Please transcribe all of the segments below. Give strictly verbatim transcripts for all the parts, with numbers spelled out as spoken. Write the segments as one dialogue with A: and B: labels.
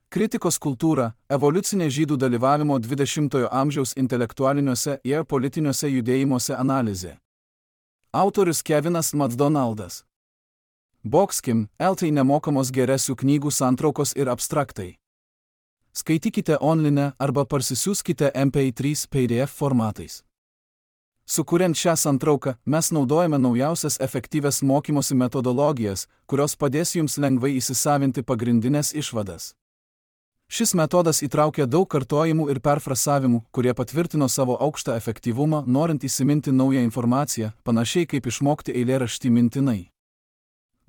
A: Kritikos kultūra – evoliucinė žydų dalyvavimo dvidešimtojo amžiaus intelektualiniuose ir politiniuose judėjimuose analizė. Autorius Kevinas MacDonaldas. Boxkim, Eltai nemokamos geresių knygų santraukos ir abstraktai. Skaitykite online arba parsisiųskite M P trys P D F formatais. Sukuriant šią santrauką, mes naudojame naujausias efektyvias mokymosi metodologijas, kurios padės jums lengvai įsisavinti pagrindinės išvadas. Šis metodas įtraukia daug kartojimų ir perfrasavimų, kurie patvirtino savo aukštą efektyvumą, norint įsiminti naują informaciją, panašiai kaip išmokti eilėraštį mintinai.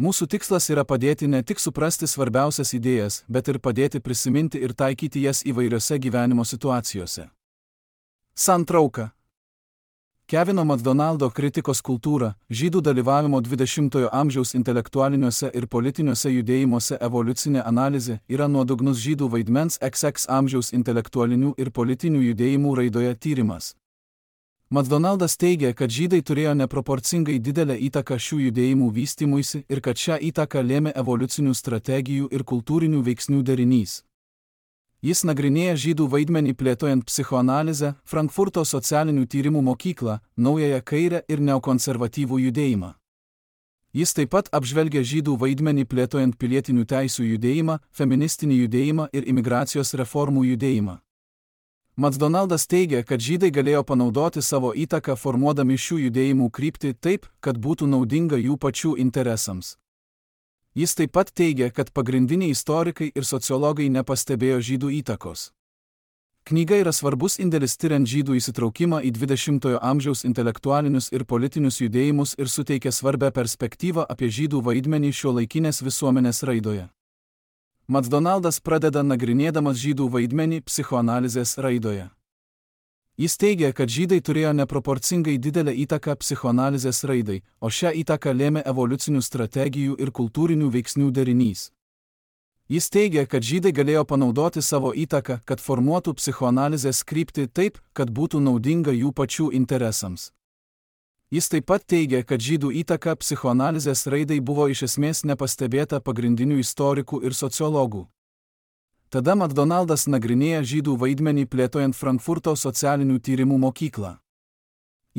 A: Mūsų tikslas yra padėti ne tik suprasti svarbiausias idėjas, bet ir padėti prisiminti ir taikyti jas įvairiose gyvenimo situacijose. Santrauka. Kevino MacDonaldo kritikos kultūra – žydų dalyvavimo dvidešimtojo amžiaus intelektualiniuose ir politiniuose judėjimuose evoliucinė analizė yra nuodugnus žydų vaidmens X X amžiaus intelektualinių ir politinių judėjimų raidoje tyrimas. MacDonaldas teigia, kad žydai turėjo neproporcingai didelę įtaką šių judėjimų vystymuisi ir kad šią įtaką lėmė evoliucinių strategijų ir kultūrinių veiksnių derinys. Jis nagrinėja žydų vaidmenį plėtojant psichoanalizę, Frankfurto socialinių tyrimų mokyklą, naująją kairę ir neokonservatyvų judėjimą. Jis taip pat apžvelgia žydų vaidmenį plėtojant pilietinių teisių judėjimą, feministinį judėjimą ir imigracijos reformų judėjimą. MacDonaldas teigia, kad žydai galėjo panaudoti savo įtaką formuodami šių judėjimų kryptį taip, kad būtų naudinga jų pačių interesams. Jis taip pat teigia, kad pagrindiniai istorikai ir sociologai nepastebėjo žydų įtakos. Knyga yra svarbus indėlis tiriant žydų įsitraukimą į dvidešimtojo amžiaus intelektualinius ir politinius judėjimus ir suteikia svarbią perspektyvą apie žydų vaidmenį šiuolaikinės visuomenės raidoje. MacDonaldas pradeda nagrinėdamas žydų vaidmenį psichoanalizės raidoje. Jis teigia, kad žydai turėjo neproporcingai didelę įtaką psichoanalizės raidai, o šią įtaką lėmė evoliucinių strategijų ir kultūrinių veiksnių derinys. Jis teigia, kad žydai galėjo panaudoti savo įtaką, kad formuotų psichoanalizės kryptį taip, kad būtų naudinga jų pačių interesams. Jis taip pat teigia, kad žydų įtaka psichoanalizės raidai buvo iš esmės nepastebėta pagrindinių istorikų ir sociologų. Tada MacDonaldas nagrinėja žydų vaidmenį plėtojant Frankfurto socialinių tyrimų mokyklą.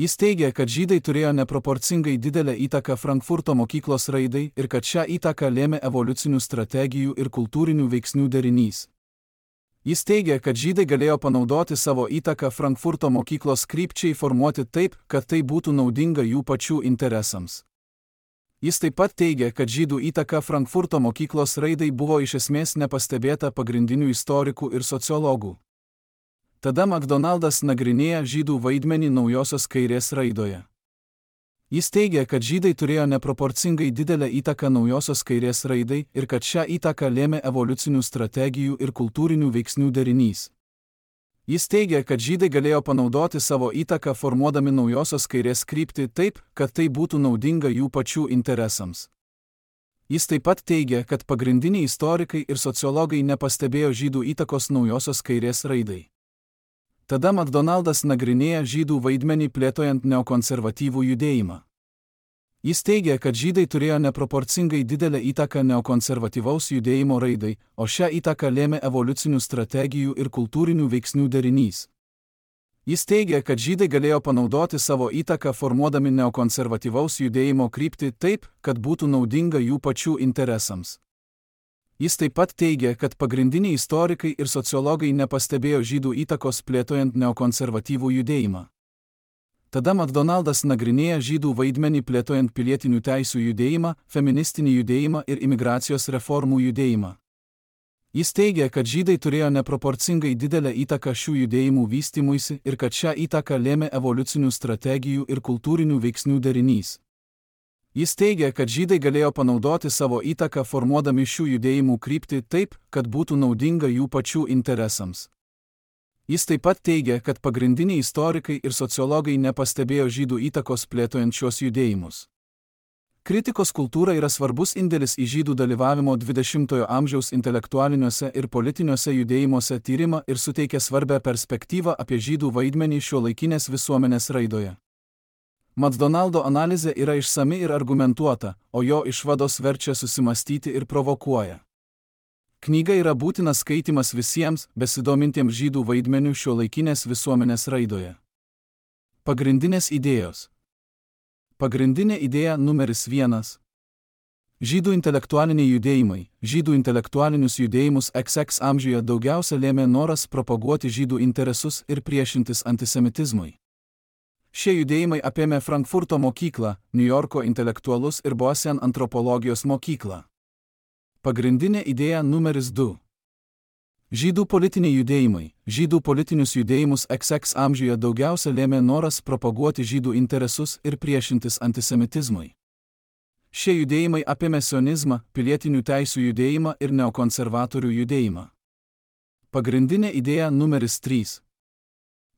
A: Jis teigia, kad žydai turėjo neproporcingai didelę įtaką Frankfurto mokyklos raidai ir kad šią įtaką lėmė evoliucinių strategijų ir kultūrinių veiksnių derinys. Jis teigia, kad žydai galėjo panaudoti savo įtaką Frankfurto mokyklos krypčiai formuoti taip, kad tai būtų naudinga jų pačių interesams. Jis taip pat teigia, kad žydų įtaka Frankfurto mokyklos raidai buvo iš esmės nepastebėta pagrindinių istorikų ir sociologų. Tada MacDonaldas nagrinėja žydų vaidmenį naujosios kairės raidoje. Jis teigia, kad žydai turėjo neproporcingai didelę įtaką naujosios kairės raidai ir kad šią įtaką lėmė evoliucinių strategijų ir kultūrinių veiksnių derinys. Jis teigia, kad žydai galėjo panaudoti savo įtaką formuodami naujosios kairės kryptį taip, kad tai būtų naudinga jų pačių interesams. Jis taip pat teigia, kad pagrindiniai istorikai ir sociologai nepastebėjo žydų įtakos naujosios kairės raidai. Tada MacDonaldas nagrinėja žydų vaidmenį plėtojant neokonservatyvų judėjimą. Jis teigia, kad žydai turėjo neproporcingai didelę įtaką neokonservatyvaus judėjimo raidai, o šią įtaką lėmė evoliucinių strategijų ir kultūrinių veiksnių derinys. Jis teigia, kad žydai galėjo panaudoti savo įtaką formuodami neokonservatyvaus judėjimo kryptį taip, kad būtų naudinga jų pačių interesams. Jis taip pat teigia, kad pagrindiniai istorikai ir sociologai nepastebėjo žydų įtakos plėtojant neokonservatyvų judėjimą. Tada MacDonaldas nagrinėja žydų vaidmenį plėtojant pilietinių teisių judėjimą, feministinį judėjimą ir imigracijos reformų judėjimą. Jis teigia, kad žydai turėjo neproporcingai didelę įtaką šių judėjimų vystymuisi ir kad šią įtaką lėmė evoliucinių strategijų ir kultūrinių veiksnių derinys. Jis teigia, kad žydai galėjo panaudoti savo įtaką formuodami šių judėjimų kryptį taip, kad būtų naudinga jų pačių interesams. Jis taip pat teigia, kad pagrindiniai istorikai ir sociologai nepastebėjo žydų įtakos plėtojant šios judėjimus. Kritikos kultūra yra svarbus indėlis į žydų dalyvavimo dvidešimtojo amžiaus intelektualiniuose ir politiniuose judėjimuose tyrimą ir suteikia svarbią perspektyvą apie žydų vaidmenį šiuolaikinės visuomenės raidoje. MacDonaldo analizė yra išsami ir argumentuota, o jo išvados verčia susimastyti ir provokuoja. Knyga yra būtinas skaitimas visiems besidomintiems žydų vaidmeniu šiuolaikinės visuomenės raidoje. Pagrindinės idėjos. Pagrindinė idėja numeris vienas. Žydų intelektualiniai judėjimai. Žydų intelektualinius judėjimus iks iks amžiuje daugiausia lėmė noras propaguoti žydų interesus ir priešintis antisemitizmui. Šie judėjimai apėmė Frankfurto mokyklą, Niujorko intelektualus ir Boston antropologijos mokyklą. Pagrindinė idėja numeris du. Žydų politiniai judėjimai. Žydų politinius judėjimus iks iks amžiuje daugiausia lėmė noras propaguoti žydų interesus ir priešintis antisemitizmui. Šie judėjimai apėmė sionizmą, pilietinių teisių judėjimą ir neokonservatorių judėjimą. Pagrindinė idėja numeris trys.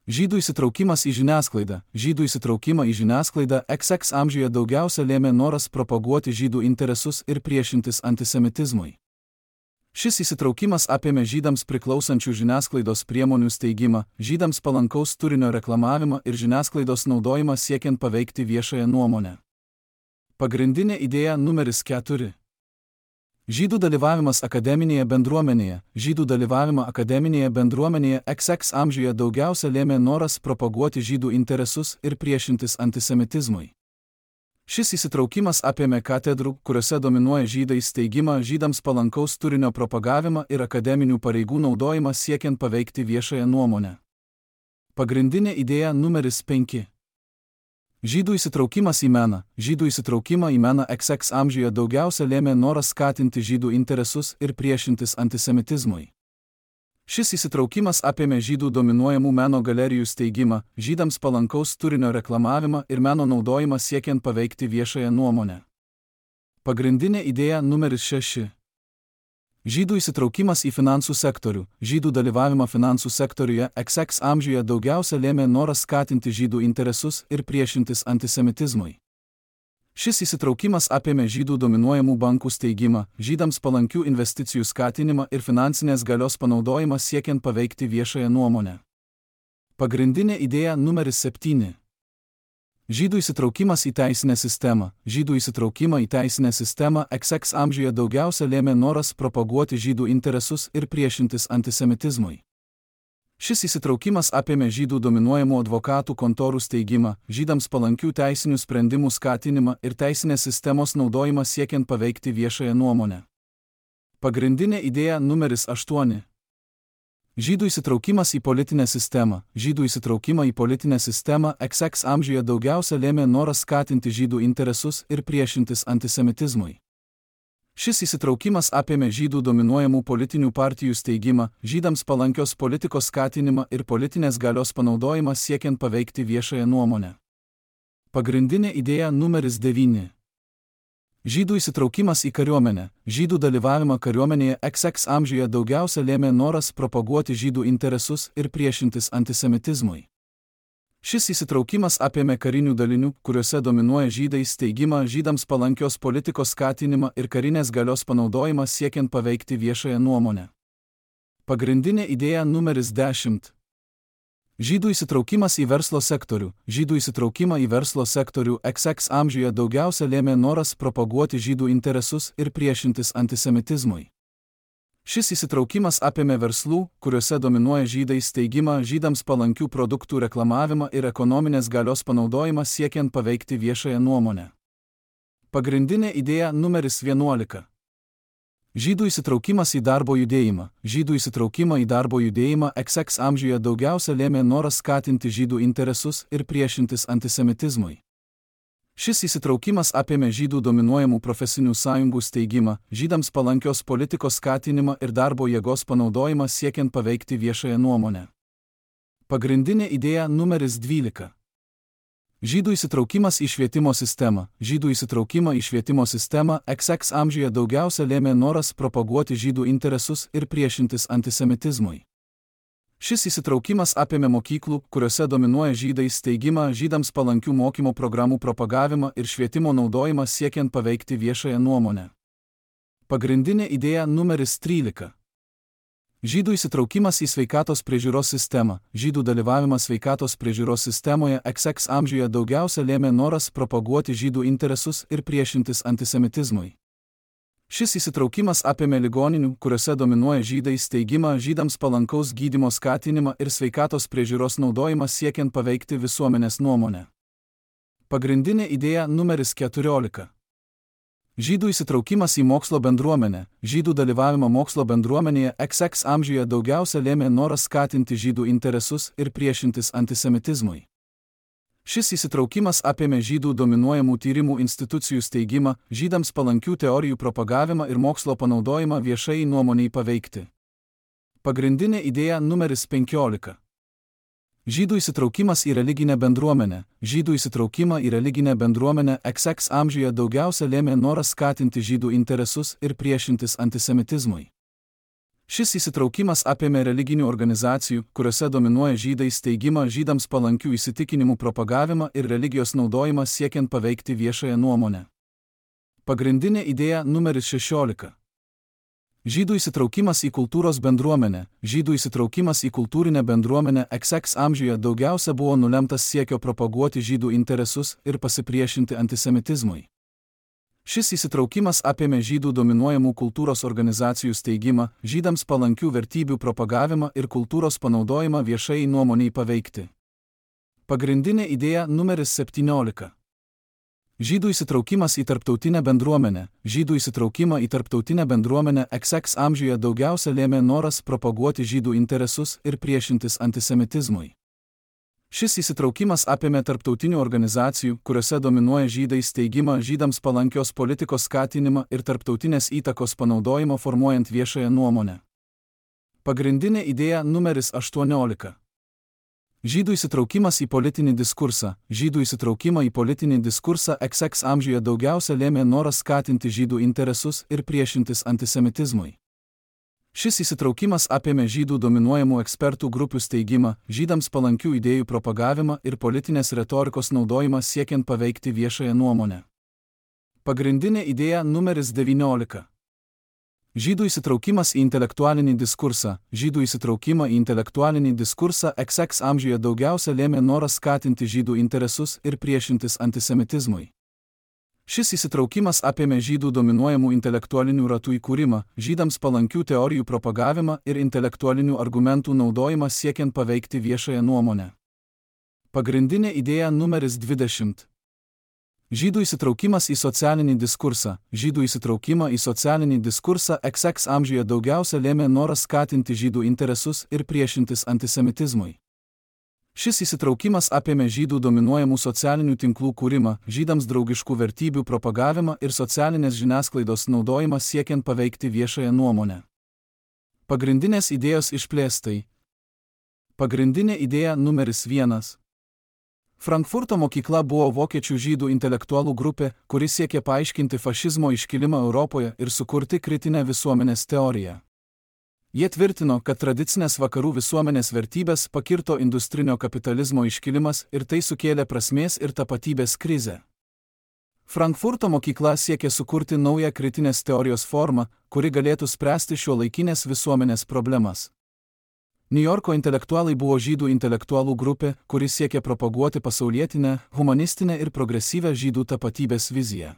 A: Žydų įsitraukimas į žiniasklaidą. Žydų įsitraukimą į žiniasklaidą iks iks amžiuje daugiausia lėmė noras propaguoti žydų interesus ir priešintis antisemitizmui. Šis įsitraukimas apėmė žydams priklausančių žiniasklaidos priemonių steigimą, žydams palankaus turinio reklamavimą ir žiniasklaidos naudojimą siekiant paveikti viešąją nuomonę. Pagrindinė idėja numeris keturi. Žydų dalyvavimas akademinėje bendruomenėje. Žydų dalyvavimą akademinėje bendruomenėje iks iks amžiuje daugiausia lėmė noras propaguoti žydų interesus ir priešintis antisemitizmui. Šis įsitraukimas apėmė katedrų, kuriuose dominuoja žydai steigimą, žydams palankaus turinio propagavimą ir akademinių pareigų naudojimą siekiant paveikti viešąją nuomonę. Pagrindinė idėja numeris penki. Žydų įsitraukimas į meną. Žydų įsitraukimą į meną iks iks amžiuje daugiausia lėmė noras skatinti žydų interesus ir priešintis antisemitizmui. Šis įsitraukimas apėmė žydų dominuojamų meno galerijų steigimą, žydams palankaus turinio reklamavimą ir meno naudojimą siekiant paveikti viešąją nuomonę. Pagrindinė idėja numeris šeši. Žydų įsitraukimas į finansų sektorių. Žydų dalyvavimą finansų sektoriuje iks iks amžiuje daugiausia lėmė noras skatinti žydų interesus ir priešintis antisemitizmui. Šis įsitraukimas apėmė žydų dominuojamų bankų steigimą, žydams palankių investicijų skatinimą ir finansinės galios panaudojimą siekiant paveikti viešąją nuomonę. Pagrindinė idėja numeris septyni. Žydų įsitraukimas į teisinę sistemą. Žydų įsitraukimą į teisinę sistemą iks iks amžiuje daugiausia lėmė noras propaguoti žydų interesus ir priešintis antisemitizmui. Šis įsitraukimas apėmė žydų dominuojamų advokatų kontorų steigimą, žydams palankių teisinių sprendimų skatinimą ir teisinės sistemos naudojimą siekiant paveikti viešąją nuomonę. Pagrindinė idėja numeris aštuoni. Žydų įsitraukimas į politinę sistemą. Žydų įsitraukimą į politinę sistemą iks iks amžiuje daugiausia lėmė noras skatinti žydų interesus ir priešintis antisemitizmui. Šis įsitraukimas apėmė žydų dominuojamų politinių partijų steigimą, žydams palankios politikos skatinimą ir politinės galios panaudojimą siekiant paveikti viešąją nuomonę. Pagrindinė idėja numeris devyni. Žydų įsitraukimas į kariuomenę. Žydų dalyvavimą kariuomenėje iks iks amžiuje daugiausia lėmė noras propaguoti žydų interesus ir priešintis antisemitizmui. Šis įsitraukimas apėmė karinių dalinių, kuriuose dominuoja žydai steigimą, žydams palankios politikos skatinimą ir karinės galios panaudojimą siekiant paveikti viešąją nuomonę. Pagrindinė idėja numeris dešimt. Žydų įsitraukimas į verslo sektorių. Žydų įsitraukimą į verslo sektorių iks iks amžiuje daugiausia lėmė noras propaguoti žydų interesus ir priešintis antisemitizmui. Šis įsitraukimas apėmė verslų, kuriuose dominuoja žydai steigimą, žydams palankių produktų reklamavimą ir ekonominės galios panaudojimą siekiant paveikti viešąją nuomonę. Pagrindinė idėja numeris vienuolika. Žydų įsitraukimas į darbo judėjimą. Žydų įsitraukimą į darbo judėjimą iks iks amžiuje daugiausia lėmė noras skatinti žydų interesus ir priešintis antisemitizmui. Šis įsitraukimas apėmė žydų dominuojamų profesinių sąjungų steigimą, žydams palankios politikos skatinimą ir darbo jėgos panaudojimą siekiant paveikti viešąją nuomonę. Pagrindinė idėja numeris dvylika. Žydų įsitraukimas į švietimo sistemą. Žydų įsitraukimą į švietimo sistemą iks iks amžiuje daugiausia lėmė noras propaguoti žydų interesus ir priešintis antisemitizmui. Šis įsitraukimas apėmė mokyklų, kuriuose dominuoja žydai steigimą, žydams palankių mokymo programų propagavimą ir švietimo naudojimą siekiant paveikti viešąją nuomonę. Pagrindinė idėja numeris trylika. Žydų įsitraukimas į sveikatos priežiūros sistemą. Žydų dalyvavimas sveikatos priežiūros sistemoje iks iks amžiuje daugiausia lėmė noras propaguoti žydų interesus ir priešintis antisemitizmui. Šis įsitraukimas apėmė ligoninių, kuriuose dominuoja žydai, steigimą, žydams palankaus gydymo skatinimą ir sveikatos priežiūros naudojimą siekiant paveikti visuomenės nuomonę. Pagrindinė idėja numeris keturiolika. Žydų įsitraukimas į mokslo bendruomenę. Žydų dalyvavimą mokslo bendruomenėje iks iks amžiuje daugiausia lėmė noras skatinti žydų interesus ir priešintis antisemitizmui. Šis įsitraukimas apėmė žydų dominuojamų tyrimų institucijų steigimą, žydams palankių teorijų propagavimą ir mokslo panaudojimą viešai nuomoniai paveikti. Pagrindinė idėja numeris penkiolika. Žydų įsitraukimas į religinę bendruomenę. Žydų įsitraukimą į religinę bendruomenę iks iks amžiuje daugiausia lėmė noras skatinti žydų interesus ir priešintis antisemitizmui. Šis įsitraukimas apėmė religinių organizacijų, kuriuose dominuoja žydai, steigimą, žydams palankių įsitikinimų propagavimą ir religijos naudojimą siekiant paveikti viešąją nuomonę. Pagrindinė idėja numeris šešiolika. Žydų įsitraukimas į kultūros bendruomenę. Žydų įsitraukimas į kultūrinę bendruomenę iks iks amžiuje daugiausia buvo nulemtas siekio propaguoti žydų interesus ir pasipriešinti antisemitizmui. Šis įsitraukimas apėmė žydų dominuojamų kultūros organizacijų steigimą, žydams palankių vertybių propagavimą ir kultūros panaudojimą viešai nuomoniai paveikti. Pagrindinė idėja numeris septyniolika. Žydų įsitraukimas į tarptautinę bendruomenę. Žydų įsitraukimą į tarptautinę bendruomenę iks iks amžiuje daugiausia lėmė noras propaguoti žydų interesus ir priešintis antisemitizmui. Šis įsitraukimas apėmė tarptautinių organizacijų, kuriuose dominuoja žydai, steigimą, žydams palankios politikos skatinimą ir tarptautinės įtakos panaudojimo formuojant viešąją nuomonę. Pagrindinė idėja numeris aštuoniolika. Žydų įsitraukimas į politinį diskursą. Žydų įsitraukimą į politinį diskursą iks iks amžiuje daugiausia lėmė noras skatinti žydų interesus ir priešintis antisemitizmui. Šis įsitraukimas apėmė žydų dominuojamų ekspertų grupių steigimą, žydams palankių idėjų propagavimą ir politinės retorikos naudojimą siekiant paveikti viešąją nuomonę. Pagrindinė idėja numeris devyniolika. Žydų įsitraukimas į intelektualinį diskursą. Žydų įsitraukimą į intelektualinį diskursą iks iks amžiuje daugiausia lėmė noras skatinti žydų interesus ir priešintis antisemitizmui. Šis įsitraukimas apėmė žydų dominuojamų intelektualinių ratų įkūrimą, žydams palankių teorijų propagavimą ir intelektualinių argumentų naudojimą siekiant paveikti viešąją nuomonę. Pagrindinė idėja numeris dvidešimt. Žydų įsitraukimas į socialinį diskursą. Žydų įsitraukimą į socialinį diskursą iks iks amžiuje daugiausia lėmė noras skatinti žydų interesus ir priešintis antisemitizmui. Šis įsitraukimas apėmė žydų dominuojamų socialinių tinklų kūrimą, žydams draugiškų vertybių propagavimą ir socialinės žiniasklaidos naudojimą siekiant paveikti viešąją nuomonę. Pagrindinės idėjos išplėstai. Pagrindinė idėja numeris vienas. Frankfurto mokykla buvo vokiečių žydų intelektualų grupė, kuri siekė paaiškinti fašizmo iškilimą Europoje ir sukurti kritinę visuomenės teoriją. Jie tvirtino, kad tradicinės vakarų visuomenės vertybės pakirto industrinio kapitalizmo iškilimas ir tai sukėlė prasmės ir tapatybės krizę. Frankfurto mokykla siekė sukurti naują kritinės teorijos formą, kuri galėtų spręsti šiuolaikinės visuomenės problemas. Niujorko intelektualai buvo žydų intelektualų grupė, kuri siekė propaguoti pasaulietinę, humanistinę ir progresyvę žydų tapatybės viziją.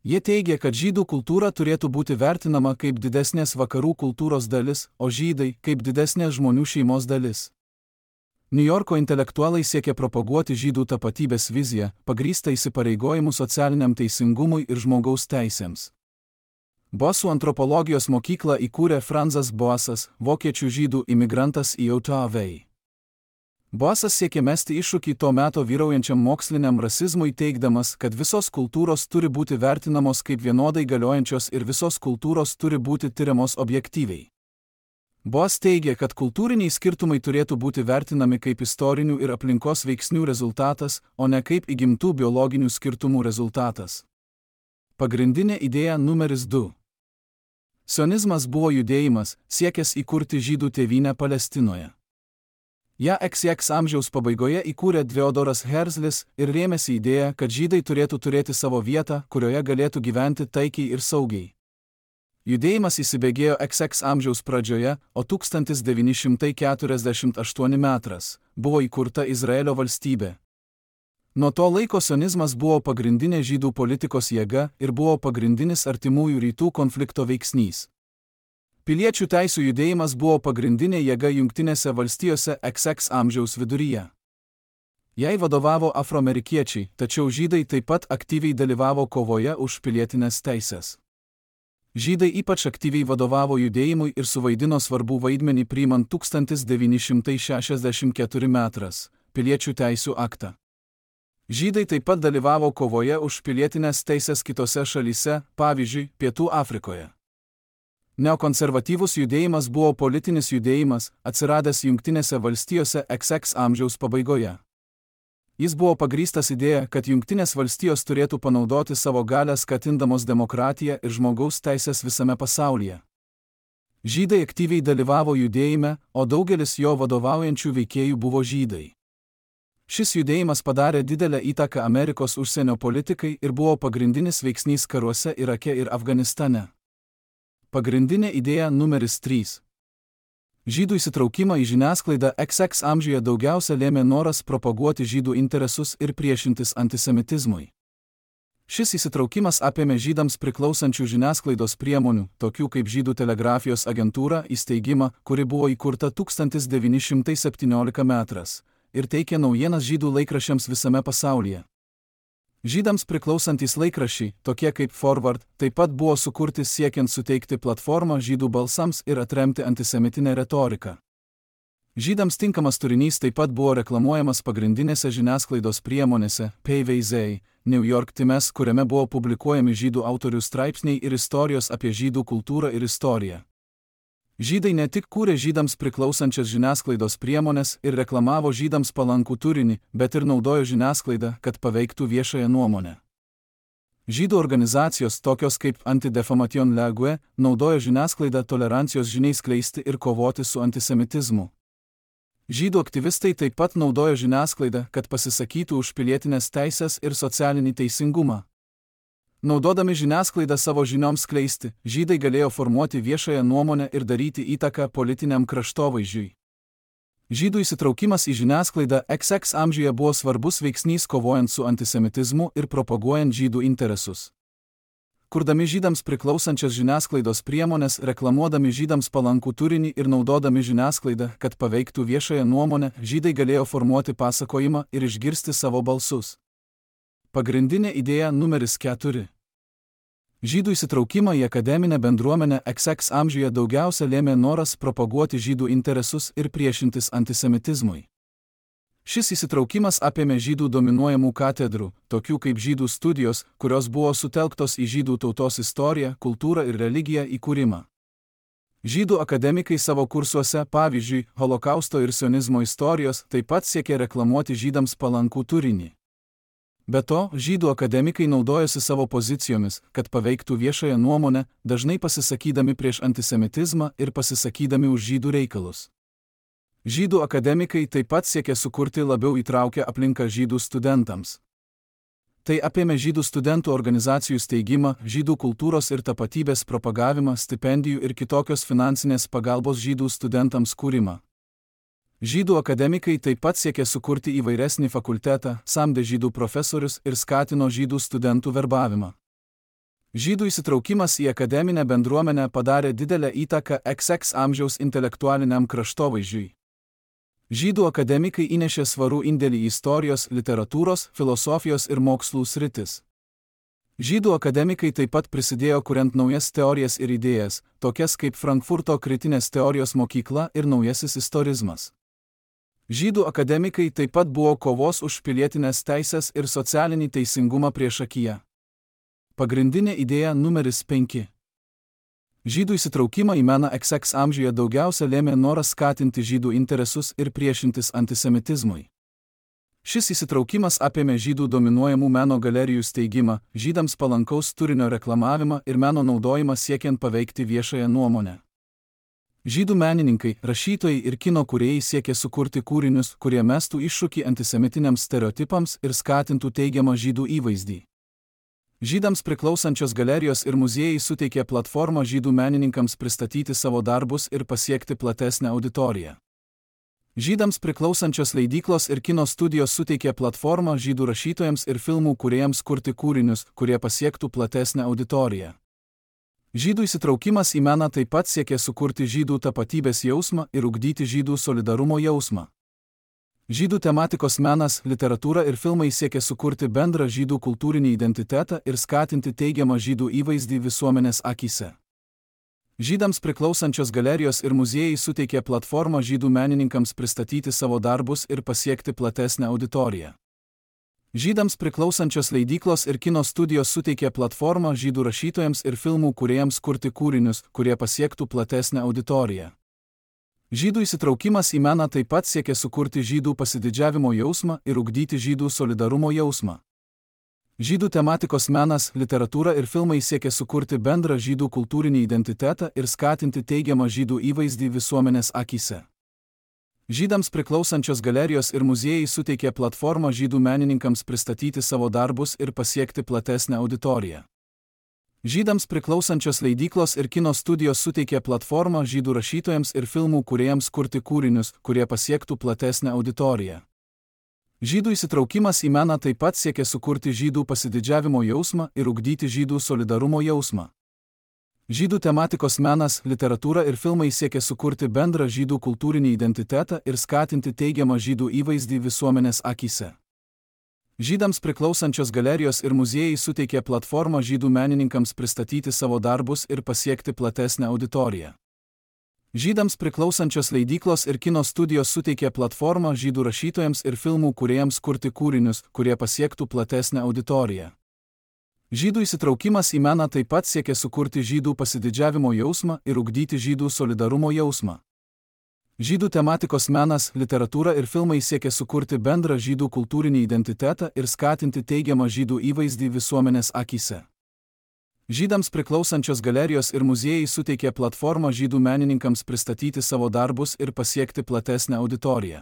A: Jie teigė, kad žydų kultūra turėtų būti vertinama kaip didesnės vakarų kultūros dalis, o žydai kaip didesnės žmonių šeimos dalis. Niujorko intelektualai siekė propaguoti žydų tapatybės viziją, pagrįstą įsipareigojimu socialiniam teisingumui ir žmogaus teisėms. Bosų antropologijos mokyklą įkūrė Franzas Boasas, vokiečių žydų imigrantas į Jautavę. Boasas siekė mesti iššūkį to meto vyraujančiam moksliniam rasizmui, teigdamas, kad visos kultūros turi būti vertinamos kaip vienodai galiojančios ir visos kultūros turi būti tiriamos objektyviai. Boas teigė, kad kultūriniai skirtumai turėtų būti vertinami kaip istorinių ir aplinkos veiksnių rezultatas, o ne kaip įgimtų biologinių skirtumų rezultatas. Pagrindinė idėja numeris du. Sionizmas buvo judėjimas, siekęs įkurti žydų tėvynę Palestinoje. Ja iks iks amžiaus pabaigoje įkūrė Theodoras Herzlis ir rėmėsi idėją, kad žydai turėtų turėti savo vietą, kurioje galėtų gyventi taikiai ir saugiai. Judėjimas įsibėgėjo iks iks amžiaus pradžioje, o tūkstantis devyni šimtai keturiasdešimt aštuoni metras buvo įkurta Izraelio valstybė. Nuo to laiko sionizmas buvo pagrindinė žydų politikos jėga ir buvo pagrindinis artimųjų rytų konflikto veiksnys. Piliečių teisių judėjimas buvo pagrindinė jėga Jungtinėse valstijose X X amžiaus viduryje. Jai vadovavo afroamerikiečiai, tačiau žydai taip pat aktyviai dalyvavo kovoje už pilietinės teisės. Žydai ypač aktyviai vadovavo judėjimui ir suvaidino svarbų vaidmenį priimant tūkstantis devyni šimtai šešiasdešimt keturi metras Piliečių teisių aktą. Žydai taip pat dalyvavo kovoje už pilietinės teisės kitose šalyse, pavyzdžiui, Pietų Afrikoje. Neokonservatyvus judėjimas buvo politinis judėjimas, atsiradęs Jungtinėse valstijose X X amžiaus pabaigoje. Jis buvo pagrįstas idėja, kad Jungtinės valstijos turėtų panaudoti savo galią skatindamos demokratiją ir žmogaus teisės visame pasaulyje. Žydai aktyviai dalyvavo judėjime, o daugelis jo vadovaujančių veikėjų buvo žydai. Šis judėjimas padarė didelę įtaką Amerikos užsienio politikai ir buvo pagrindinis veiksnys karuose Irake ir Afganistane. Pagrindinė idėja numeris trys. Žydų įsitraukimą į žiniasklaidą X X amžiuje daugiausia lėmė noras propaguoti žydų interesus ir priešintis antisemitizmui. Šis įsitraukimas apėmė žydams priklausančių žiniasklaidos priemonių, tokių kaip Žydų telegrafijos agentūra, įsteigimą, kuri buvo įkurta tūkstantis devyni šimtai septynioliktą metrais, ir teikė naujienas žydų laikraščiams visame pasaulyje. Žydams priklausantys laikraščiai, tokie kaip Forward, taip pat buvo sukurti siekiant suteikti platformą žydų balsams ir atremti antisemitinę retoriką. Žydams tinkamas turinys taip pat buvo reklamuojamas pagrindinėse žiniasklaidos priemonėse, P V Z, New York Times, kuriame buvo publikuojami žydų autorių straipsniai ir istorijos apie žydų kultūrą ir istoriją. Žydai ne tik kūrė žydams priklausančias žiniasklaidos priemonės ir reklamavo žydams palankų turinį, bet ir naudojo žiniasklaidą, kad paveiktų viešąją nuomonę. Žydų organizacijos, tokios kaip Anti-Defamation League, naudojo žiniasklaidą tolerancijos žiniai skleisti ir kovoti su antisemitizmu. Žydų aktyvistai taip pat naudojo žiniasklaidą, kad pasisakytų už pilietinės teisės ir socialinį teisingumą. Naudodami žiniasklaidą savo žinioms skleisti, žydai galėjo formuoti viešąją nuomonę ir daryti įtaką politiniam kraštovaizdžiui. Žydų įsitraukimas į žiniasklaidą X X amžiuje buvo svarbus veiksnys kovojant su antisemitizmu ir propaguojant žydų interesus. Kurdami žydams priklausančias žiniasklaidos priemonės, reklamuodami žydams palankų turinį ir naudodami žiniasklaidą, kad paveiktų viešąją nuomonę, žydai galėjo formuoti pasakojimą ir išgirsti savo balsus. Pagrindinė idėja numeris keturi. Žydų įsitraukimą į akademinę bendruomenę X X amžiuje daugiausia lėmė noras propaguoti žydų interesus ir priešintis antisemitizmui. Šis įsitraukimas apėmė žydų dominuojamų katedrų, tokių kaip žydų studijos, kurios buvo sutelktos į žydų tautos istoriją, kultūrą ir religiją įkūrimą. Žydų akademikai savo kursuose, pavyzdžiui, holokausto ir sionizmo istorijos, taip pat siekė reklamuoti žydams palankų turinį. Be to, žydų akademikai naudojosi savo pozicijomis, kad paveiktų viešąją nuomonę, dažnai pasisakydami prieš antisemitizmą ir pasisakydami už žydų reikalus. Žydų akademikai taip pat siekė sukurti labiau įtraukę aplinką žydų studentams. Tai apėmė žydų studentų organizacijų steigimą, žydų kultūros ir tapatybės propagavimą, stipendijų ir kitokios finansinės pagalbos žydų studentams kūrimą. Žydų akademikai taip pat siekė sukurti įvairesnį fakultetą, samdė žydų profesorius ir skatino žydų studentų verbavimą. Žydų įsitraukimas į akademinę bendruomenę padarė didelę įtaką X X amžiaus intelektualiniam kraštovaizdžiui. Žydų akademikai įnešė svarų indėlį į istorijos, literatūros, filosofijos ir mokslų sritis. Žydų akademikai taip pat prisidėjo kuriant naujas teorijas ir idėjas, tokias kaip Frankfurto kritinės teorijos mokykla ir naujasis istorizmas. Žydų akademikai taip pat buvo kovos už pilietinės teisės ir socialinį teisingumą priešakyje. Pagrindinė idėja numeris penki. Žydų įsitraukimą į meną X X amžiuje daugiausia lėmė noras skatinti žydų interesus ir priešintis antisemitizmui. Šis įsitraukimas apėmė žydų dominuojamų meno galerijų steigimą, žydams palankaus turinio reklamavimą ir meno naudojimą siekiant paveikti viešąją nuomonę. Žydų menininkai, rašytojai ir kino kūrėjai siekė sukurti kūrinius, kurie mestų iššūkį antisemitiniams stereotipams ir skatintų teigiamą žydų įvaizdį. Žydams priklausančios galerijos ir muziejai suteikė platformą žydų menininkams pristatyti savo darbus ir pasiekti platesnę auditoriją. Žydams priklausančios leidyklos ir kino studijos suteikė platformą žydų rašytojams ir filmų kūrėjams kurti kūrinius, kurie pasiektų platesnę auditoriją. Žydų įsitraukimas į meną taip pat siekė sukurti žydų tapatybės jausmą ir ugdyti žydų solidarumo jausmą. Žydų tematikos menas, literatūra ir filmai siekė sukurti bendrą žydų kultūrinį identitetą ir skatinti teigiamą žydų įvaizdį visuomenės akyse. Žydams priklausančios galerijos ir muziejai suteikė platformą žydų menininkams pristatyti savo darbus ir pasiekti platesnę auditoriją. Žydams priklausančios leidyklos ir kino studijos suteikė platformą žydų rašytojams ir filmų kūrėjams kurti kūrinius, kurie pasiektų platesnę auditoriją. Žydų įsitraukimas į meną taip pat siekė sukurti žydų pasididžiavimo jausmą ir ugdyti žydų solidarumo jausmą. Žydų tematikos menas, literatūra ir filmai siekė sukurti bendrą žydų kultūrinį identitetą ir skatinti teigiamą žydų įvaizdį visuomenės akyse. Žydams priklausančios galerijos ir muziejai suteikė platformą žydų menininkams pristatyti savo darbus ir pasiekti platesnę auditoriją. Žydams priklausančios leidyklos ir kino studijos suteikė platformą žydų rašytojams ir filmų kūrėjams kurti kūrinius, kurie pasiektų platesnę auditoriją. Žydų įsitraukimas į meną taip pat siekė sukurti žydų pasididžiavimo jausmą ir ugdyti žydų solidarumo jausmą. Žydų tematikos menas, literatūra ir filmai siekė sukurti bendrą žydų kultūrinį identitetą ir skatinti teigiamą žydų įvaizdį visuomenės akyse. Žydams priklausančios galerijos ir muziejai suteikė platformą žydų menininkams pristatyti savo darbus ir pasiekti platesnę auditoriją. Žydams priklausančios leidyklos ir kino studijos suteikė platformą žydų rašytojams ir filmų kūrėjams kurti kūrinius, kurie pasiektų platesnę auditoriją. Žydų įsitraukimas į meną taip pat siekė sukurti žydų pasididžiavimo jausmą ir ugdyti žydų solidarumo jausmą. Žydų tematikos menas, literatūra ir filmai siekė sukurti bendrą žydų kultūrinį identitetą ir skatinti teigiamą žydų įvaizdį visuomenės akyse. Žydams priklausančios galerijos ir muziejai suteikė platformą žydų menininkams pristatyti savo darbus ir pasiekti platesnę auditoriją.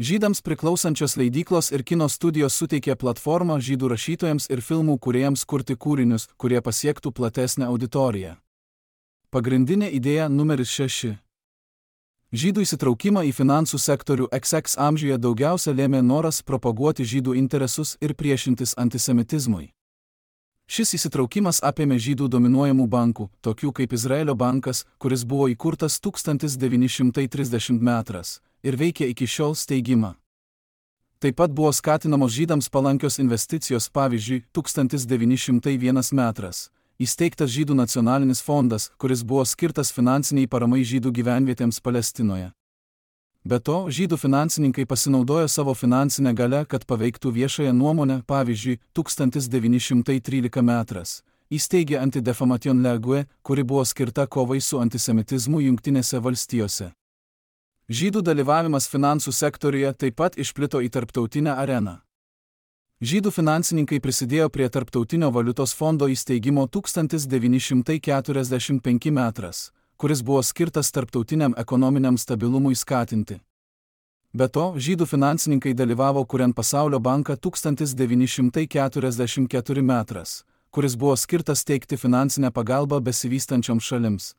A: Žydams priklausančios leidyklos ir kino studijos suteikė platformą žydų rašytojams ir filmų kūrėjams kurti kūrinius, kurie pasiektų platesnę auditoriją. Pagrindinė idėja numeris šeši. Žydų įsitraukimą į finansų sektorių iks iks amžiuje daugiausia lėmė noras propaguoti žydų interesus ir priešintis antisemitizmui. Šis įsitraukimas apėmė žydų dominuojamų bankų, tokių kaip Izraelio bankas, kuris buvo įkurtas tūkstantis devyni šimtai trisdešimtais metais ir veikia iki šiol steigimą. Taip pat buvo skatinamos žydams palankios investicijos, pavyzdžiui, tūkstantis devyni šimtai vienas metais įsteigtas Žydų nacionalinis fondas, kuris buvo skirtas finansiniai paramai žydų gyvenvietėms Palestinoje. Be to, žydų finansininkai pasinaudojo savo finansinę galią, kad paveiktų viešąją nuomonę, pavyzdžiui, tūkstantis devyni šimtai tryliktais metais įsteigė Anti-Defamation League, kuri buvo skirta kovai su antisemitizmu Jungtinėse valstijose. Žydų dalyvavimas finansų sektoriuje taip pat išplito į tarptautinę areną. Žydų finansininkai prisidėjo prie Tarptautinio valiutos fondo įsteigimo tūkstantis devyni šimtai keturiasdešimt penktais metais, kuris buvo skirtas tarptautiniam ekonominiam stabilumui skatinti. Be to, žydų finansininkai dalyvavo kuriant Pasaulio banką tūkstantis devyni šimtai keturiasdešimt ketvirtais metais, kuris buvo skirtas teikti finansinę pagalbą besivystančioms šalims.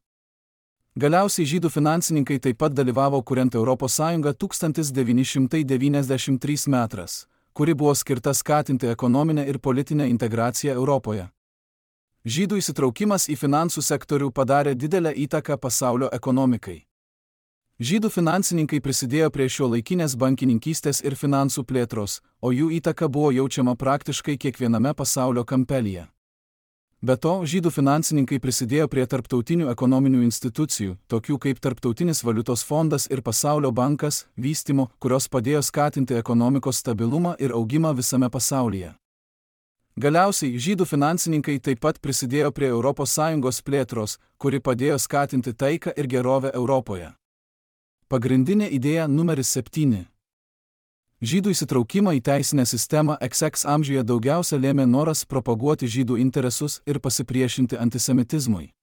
A: Galiausiai žydų finansininkai taip pat dalyvavo kuriant Europos Sąjungą tūkstantis devyni šimtai devyniasdešimt trečiais metais, kuri buvo skirta skatinti ekonominę ir politinę integraciją Europoje. Žydų įsitraukimas į finansų sektorių padarė didelę įtaką pasaulio ekonomikai. Žydų finansininkai prisidėjo prie šiuolaikinės bankininkystės ir finansų plėtros, o jų įtaka buvo jaučiama praktiškai kiekviename pasaulio kampelyje. Be to, žydų finansininkai prisidėjo prie tarptautinių ekonominių institucijų, tokių kaip Tarptautinis valiutos fondas ir Pasaulio bankas, vystymo, kurios padėjo skatinti ekonomikos stabilumą ir augimą visame pasaulyje. Galiausiai, žydų finansininkai taip pat prisidėjo prie Europos Sąjungos plėtros, kuri padėjo skatinti taiką ir gerovę Europoje. Pagrindinė idėja numeris septyni. Žydų įsitraukimą į teisinę sistemą iks iks amžiuje daugiausia lėmė noras propaguoti žydų interesus ir pasipriešinti antisemitizmui.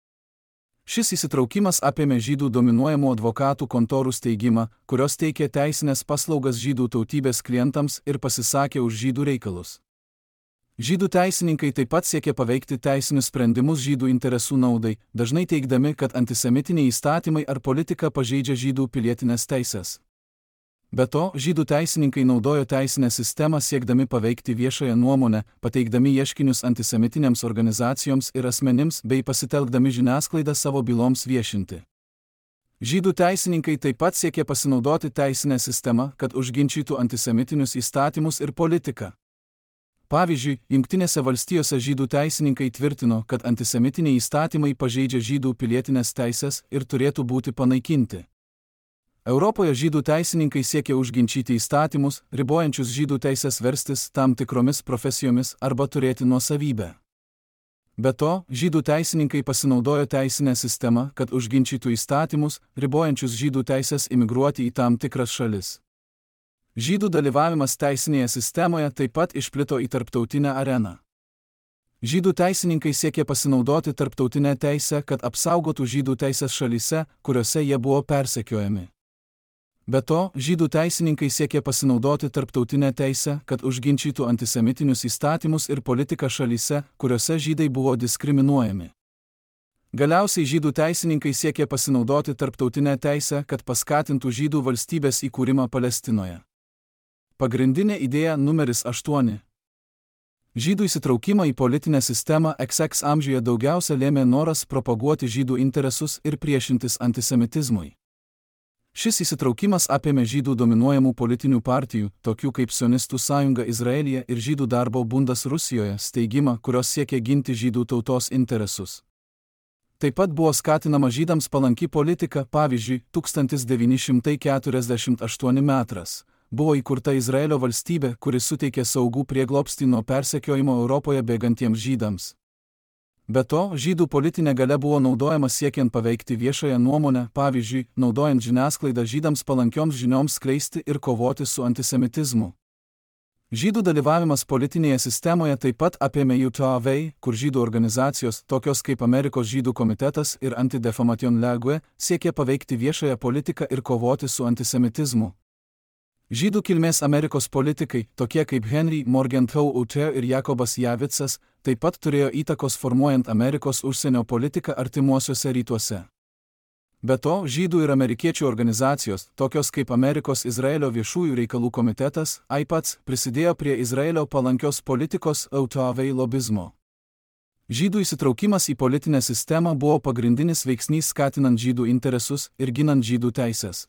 A: Šis įsitraukimas apėmė žydų dominuojamų advokatų kontorų steigimą, kurios teikė teisinės paslaugas žydų tautybės klientams ir pasisakė už žydų reikalus. Žydų teisininkai taip pat siekė paveikti teisinius sprendimus žydų interesų naudai, dažnai teigdami, kad antisemitiniai įstatymai ar politika pažeidžia žydų pilietinės teises. Be to, žydų teisininkai naudojo teisinę sistemą siekdami paveikti viešąją nuomonę, pateikdami ieškinius antisemitinėms organizacijoms ir asmenims bei pasitelkdami žiniasklaidą savo byloms viešinti. Žydų teisininkai taip pat siekė pasinaudoti teisinę sistemą, kad užginčytų antisemitinius įstatymus ir politiką. Pavyzdžiui, Jungtinėse valstijose žydų teisininkai tvirtino, kad antisemitiniai įstatymai pažeidžia žydų pilietinės teisės ir turėtų būti panaikinti. Europoje žydų teisininkai siekė užginčyti įstatymus, ribojančius žydų teisės verstis tam tikromis profesijomis arba turėti nuosavybę. Be to, žydų teisininkai pasinaudojo teisinę sistemą, kad užginčytų įstatymus, ribojančius žydų teisės imigruoti į tam tikras šalis. Žydų dalyvavimas teisinėje sistemoje taip pat išplito į tarptautinę areną. Žydų teisininkai siekė pasinaudoti tarptautinę teisę, kad apsaugotų žydų teisės šalyse, kuriuose jie buvo persekiojami. Be to, žydų teisininkai siekė pasinaudoti tarptautinę teisę, kad užginčytų antisemitinius įstatymus ir politiką šalyse, kuriuose žydai buvo diskriminuojami. Galiausiai žydų teisininkai siekė pasinaudoti tarptautinę teisę, kad paskatintų žydų valstybės įkūrimą Palestinoje. Pagrindinė idėja numeris aštuoni. Žydų įsitraukimą į politinę sistemą X X amžiuje daugiausia lėmė noras propaguoti žydų interesus ir priešintis antisemitizmui. Šis įsitraukimas apėmė žydų dominuojamų politinių partijų, tokių kaip Sionistų sąjunga Izraelyje ir Žydų darbo bundas Rusijoje, steigimą, kurios siekė ginti žydų tautos interesus. Taip pat buvo skatinama žydams palanki politika, pavyzdžiui, tūkstantis devyni šimtai keturiasdešimt aštuoni metais buvo įkurta Izraelio valstybė, kuri suteikė saugų prieglobstį nuo persekiojimo Europoje bėgantiems žydams. Be to, žydų politinė galia buvo naudojama siekiant paveikti viešąją nuomonę, pavyzdžiui, naudojant žiniasklaidą žydams palankioms žinioms skleisti ir kovoti su antisemitizmu. Žydų dalyvavimas politinėje sistemoje taip pat apėmė U T V, kur žydų organizacijos, tokios kaip Amerikos žydų komitetas ir Anti-Defamation League, siekė paveikti viešąją politiką ir kovoti su antisemitizmu. Žydų kilmės Amerikos politikai, tokie kaip Henry Morgenthau Uter ir Jakobas Javicas, taip pat turėjo įtakos formuojant Amerikos užsienio politiką artimuosiuose rytuose. Be to, žydų ir amerikiečių organizacijos, tokios kaip Amerikos Izraelio viešųjų reikalų komitetas, A I P A C, prisidėjo prie Izraelio palankios politikos U T V lobizmo. Žydų įsitraukimas į politinę sistemą buvo pagrindinis veiksnys skatinant žydų interesus ir ginant žydų teisės.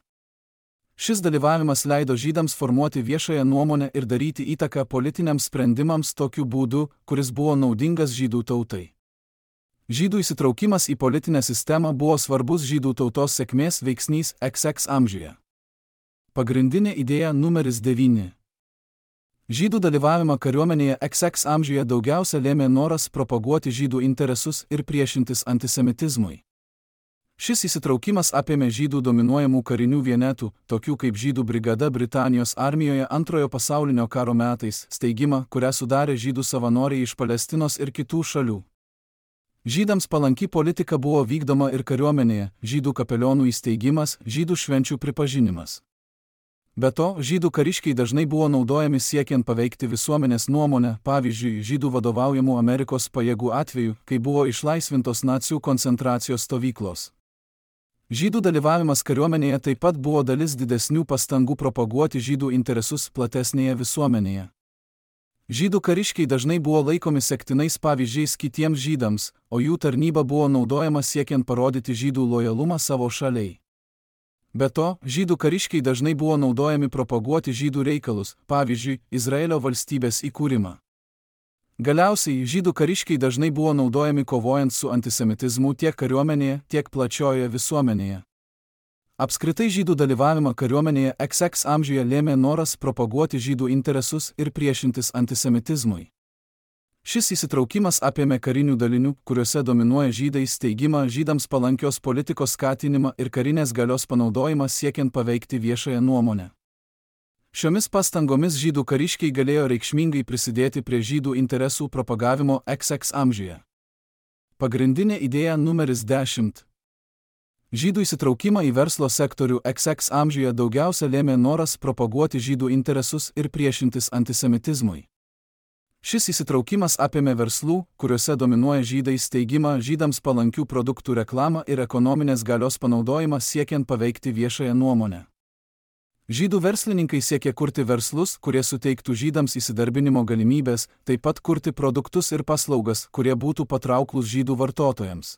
A: Šis dalyvavimas leido žydams formuoti viešąją nuomonę ir daryti įtaką politiniams sprendimams tokiu būdu, kuris buvo naudingas žydų tautai. Žydų įsitraukimas į politinę sistemą buvo svarbus žydų tautos sėkmės veiksnys X X amžiuje. Pagrindinė idėja numeris devyni. Žydų dalyvavimą kariuomenėje X X amžiuje daugiausia lėmė noras propaguoti žydų interesus ir priešintis antisemitizmui. Šis įsitraukimas apėmė žydų dominuojamų karinių vienetų, tokių kaip žydų brigada Britanijos armijoje Antrojo pasaulinio karo metais, steigimą, kurią sudarė žydų savanoriai iš Palestinos ir kitų šalių. Žydams palanki politika buvo vykdoma ir kariuomenėje, žydų kapelionų įsteigimas, žydų švenčių pripažinimas. Be to, žydų kariškiai dažnai buvo naudojami siekiant paveikti visuomenės nuomonę, pavyzdžiui, žydų vadovaujamų Amerikos pajėgų atveju, kai buvo išlaisvintos nacių koncentracijos stovyklos. Žydų dalyvavimas kariuomenėje taip pat buvo dalis didesnių pastangų propaguoti žydų interesus platesnėje visuomenėje. Žydų kariškiai dažnai buvo laikomi sektinais pavyzdžiais kitiems žydams, o jų tarnyba buvo naudojama siekiant parodyti žydų lojalumą savo šaliai. Be to, žydų kariškiai dažnai buvo naudojami propaguoti žydų reikalus, pavyzdžiui, Izraelio valstybės įkūrimą. Galiausiai, žydų kariškiai dažnai buvo naudojami kovojant su antisemitizmu tiek kariuomenėje, tiek plačiojoje visuomenėje. Apskritai žydų dalyvavimą kariuomenėje X X amžiuje lėmė noras propaguoti žydų interesus ir priešintis antisemitizmui. Šis įsitraukimas apėmė karinių dalinių, kuriuose dominuoja žydai, steigimą, žydams palankios politikos skatinimą ir karinės galios panaudojimą siekiant paveikti viešąją nuomonę. Šiomis pastangomis žydų kariškiai galėjo reikšmingai prisidėti prie žydų interesų propagavimo X X amžiuje. Pagrindinė idėja numeris dešimt. Žydų įsitraukimą į verslo sektorių X X amžiuje daugiausia lėmė noras propaguoti žydų interesus ir priešintis antisemitizmui. Šis įsitraukimas apėmė verslų, kuriuose dominuoja žydai, steigimą, žydams palankių produktų reklamą ir ekonominės galios panaudojimą siekiant paveikti viešąją nuomonę. Žydų verslininkai siekė kurti verslus, kurie suteiktų žydams įsidarbinimo galimybės, taip pat kurti produktus ir paslaugas, kurie būtų patrauklūs žydų vartotojams.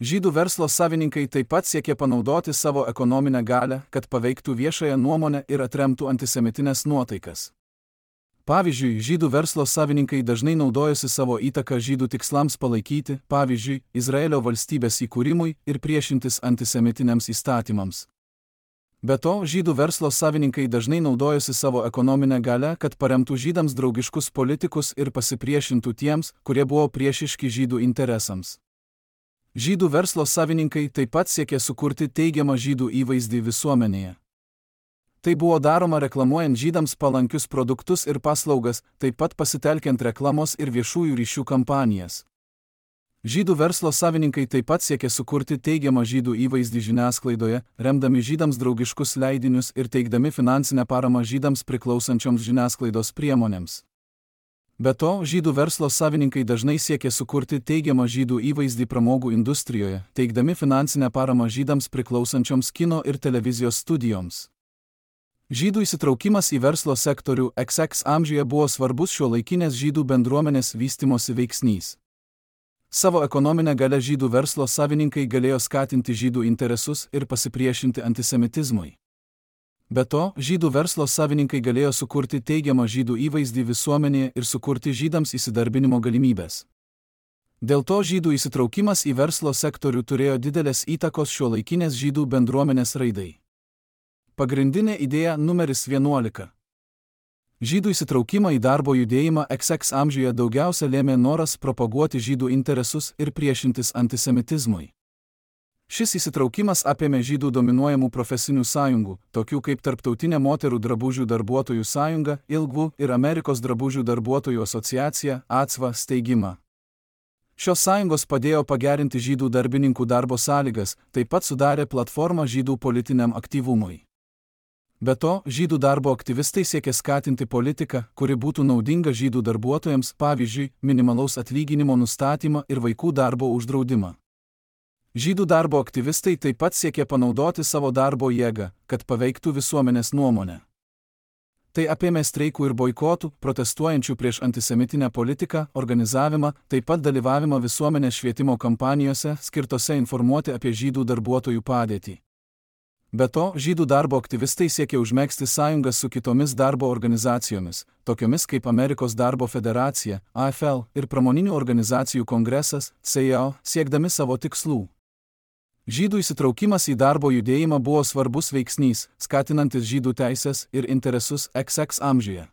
A: Žydų verslo savininkai taip pat siekė panaudoti savo ekonominę galią, kad paveiktų viešąją nuomonę ir atremtų antisemitinės nuotaikas. Pavyzdžiui, žydų verslo savininkai dažnai naudojosi savo įtaką žydų tikslams palaikyti, pavyzdžiui, Izraelio valstybės įkūrimui ir priešintis antisemitiniams įstatymams. Be to, žydų verslo savininkai dažnai naudojosi savo ekonominę galią, kad paremtų žydams draugiškus politikus ir pasipriešintų tiems, kurie buvo priešiški žydų interesams. Žydų verslo savininkai taip pat siekė sukurti teigiamą žydų įvaizdį visuomenėje. Tai buvo daroma reklamuojant žydams palankius produktus ir paslaugas, taip pat pasitelkiant reklamos ir viešųjų ryšių kampanijas. Žydų verslo savininkai taip pat siekė sukurti teigiamą žydų įvaizdį žiniasklaidoje, remdami žydams draugiškus leidinius ir teikdami finansinę paramą žydams priklausančioms žiniasklaidos priemonėms. Be to, žydų verslo savininkai dažnai siekė sukurti teigiamą žydų įvaizdį pramogų industrijoje, teikdami finansinę paramą žydams priklausančioms kino ir televizijos studijoms. Žydų įsitraukimas į verslo sektorių iks iks amžiuje buvo svarbus šiuolaikinės žydų bendruomenės vystymosi veiksnys. Savo ekonominę galią žydų verslo savininkai galėjo skatinti žydų interesus ir pasipriešinti antisemitizmui. Be to, žydų verslo savininkai galėjo sukurti teigiamą žydų įvaizdį visuomenėje ir sukurti žydams įsidarbinimo galimybės. Dėl to žydų įsitraukimas į verslo sektorių turėjo didelės įtakos šiuolaikinės žydų bendruomenės raidai. Pagrindinė idėja numeris vienuolika. Žydų įsitraukimą į darbo judėjimą iks iks amžiuje daugiausia lėmė noras propaguoti žydų interesus ir priešintis antisemitizmui. Šis įsitraukimas apėmė žydų dominuojamų profesinių sąjungų, tokių kaip Tarptautinė moterų drabužių darbuotojų sąjunga, Ilgvų ir Amerikos drabužių darbuotojų asociacija, ACVA steigimą. Šios sąjungos padėjo pagerinti žydų darbininkų darbo sąlygas, taip pat sudarė platformą žydų politiniam aktyvumui. Be to, žydų darbo aktyvistai siekė skatinti politiką, kuri būtų naudinga žydų darbuotojams, pavyzdžiui, minimalaus atlyginimo nustatymą ir vaikų darbo uždraudimą. Žydų darbo aktyvistai taip pat siekė panaudoti savo darbo jėgą, kad paveiktų visuomenės nuomonę. Tai apėmė streikų ir boikotų, protestuojančių prieš antisemitinę politiką, organizavimą, taip pat dalyvavimą visuomenės švietimo kampanijose, skirtose informuoti apie žydų darbuotojų padėtį. Be to, žydų darbo aktyvistai siekė užmegzti sąjungas su kitomis darbo organizacijomis, tokiomis kaip Amerikos darbo federacija, A F L, ir pramoninių organizacijų kongresas, C I O, siekdami savo tikslų. Žydų įsitraukimas į darbo judėjimą buvo svarbus veiksnys, skatinantis žydų teisės ir interesus iks iks amžiuje.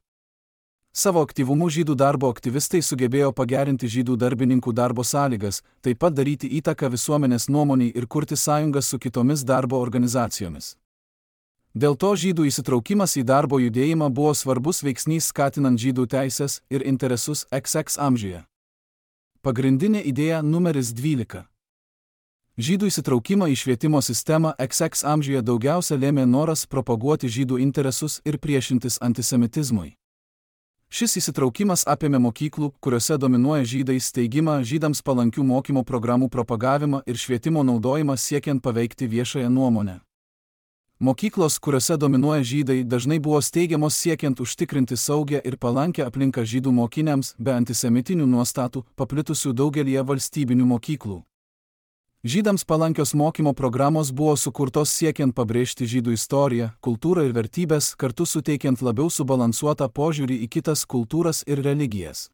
A: Savo aktyvumu žydų darbo aktyvistai sugebėjo pagerinti žydų darbininkų darbo sąlygas, taip pat daryti įtaką visuomenės nuomoniai ir kurti sąjungas su kitomis darbo organizacijomis. Dėl to žydų įsitraukimas į darbo judėjimą buvo svarbus veiksnys skatinant žydų teisės ir interesus iks iks amžiuje. Pagrindinė idėja numeris dvylika. Žydų įsitraukimą į švietimo sistemą iks iks amžiuje daugiausia lėmė noras propaguoti žydų interesus ir priešintis antisemitizmui. Šis įsitraukimas apėmė mokyklų, kuriuose dominuoja žydai, steigimą, žydams palankių mokymo programų propagavimą ir švietimo naudojimą siekiant paveikti viešąją nuomonę. Mokyklos, kuriuose dominuoja žydai, dažnai buvo steigiamos siekiant užtikrinti saugią ir palankę aplinką žydų mokiniams be antisemitinių nuostatų, paplitusių daugelyje valstybinių mokyklų. Žydams palankios mokymo programos buvo sukurtos siekiant pabrėžti žydų istoriją, kultūrą ir vertybės, kartu suteikiant labiau subalansuotą požiūrį į kitas kultūras ir religijas.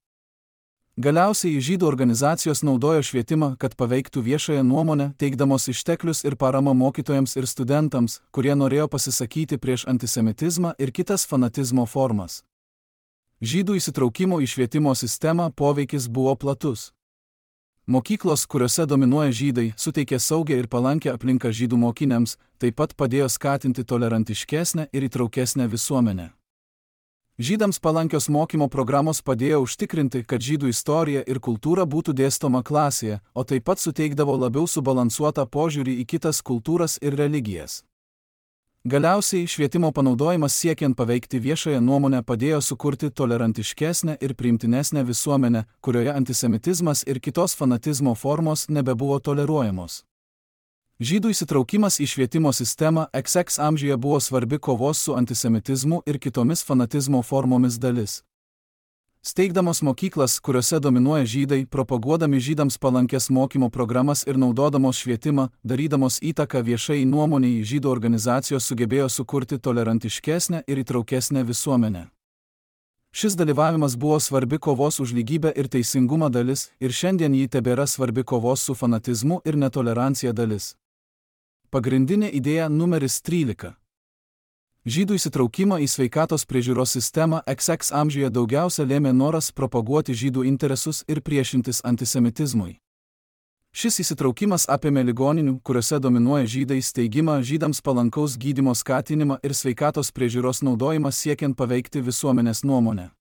A: Galiausiai žydų organizacijos naudojo švietimą, kad paveiktų viešąją nuomonę, teikdamos išteklius ir paramą mokytojams ir studentams, kurie norėjo pasisakyti prieš antisemitizmą ir kitas fanatizmo formas. Žydų įsitraukimo į švietimo sistemą poveikis buvo platus. Mokyklos, kuriuose dominuoja žydai, suteikė saugią ir palankę aplinką žydų mokiniams, taip pat padėjo skatinti tolerantiškesnę ir įtraukesnę visuomenę. Žydams palankios mokymo programos padėjo užtikrinti, kad žydų istorija ir kultūra būtų dėstoma klasėje, o taip pat suteikdavo labiau subalansuotą požiūrį į kitas kultūras ir religijas. Galiausiai švietimo panaudojimas siekiant paveikti viešąją nuomonę padėjo sukurti tolerantiškesnę ir priimtinesnę visuomenę, kurioje antisemitizmas ir kitos fanatizmo formos nebebuvo toleruojamos. Žydų įsitraukimas į švietimo sistemą X X amžiuje buvo svarbi kovos su antisemitizmu ir kitomis fanatizmo formomis dalis. Steigdamos mokyklas, kuriuose dominuoja žydai, propaguodami žydams palankės mokymo programas ir naudodamos švietimą, darydamos įtaką viešai nuomoniai, žydų organizacijos sugebėjo sukurti tolerantiškesnę ir įtraukesnę visuomenę. Šis dalyvavimas buvo svarbi kovos už lygybę ir teisingumą dalis, ir šiandien ji tebėra svarbi kovos su fanatizmu ir netolerancija dalis. Pagrindinė idėja numeris trylika. Žydų įsitraukimą į sveikatos priežiūros sistemą X X amžiuje daugiausia lėmė noras propaguoti žydų interesus ir priešintis antisemitizmui. Šis įsitraukimas apėmė ligoninių, kuriuose dominuoja žydai, steigimą, žydams palankaus gydymo skatinimą ir sveikatos priežiūros naudojimą siekiant paveikti visuomenės nuomonę.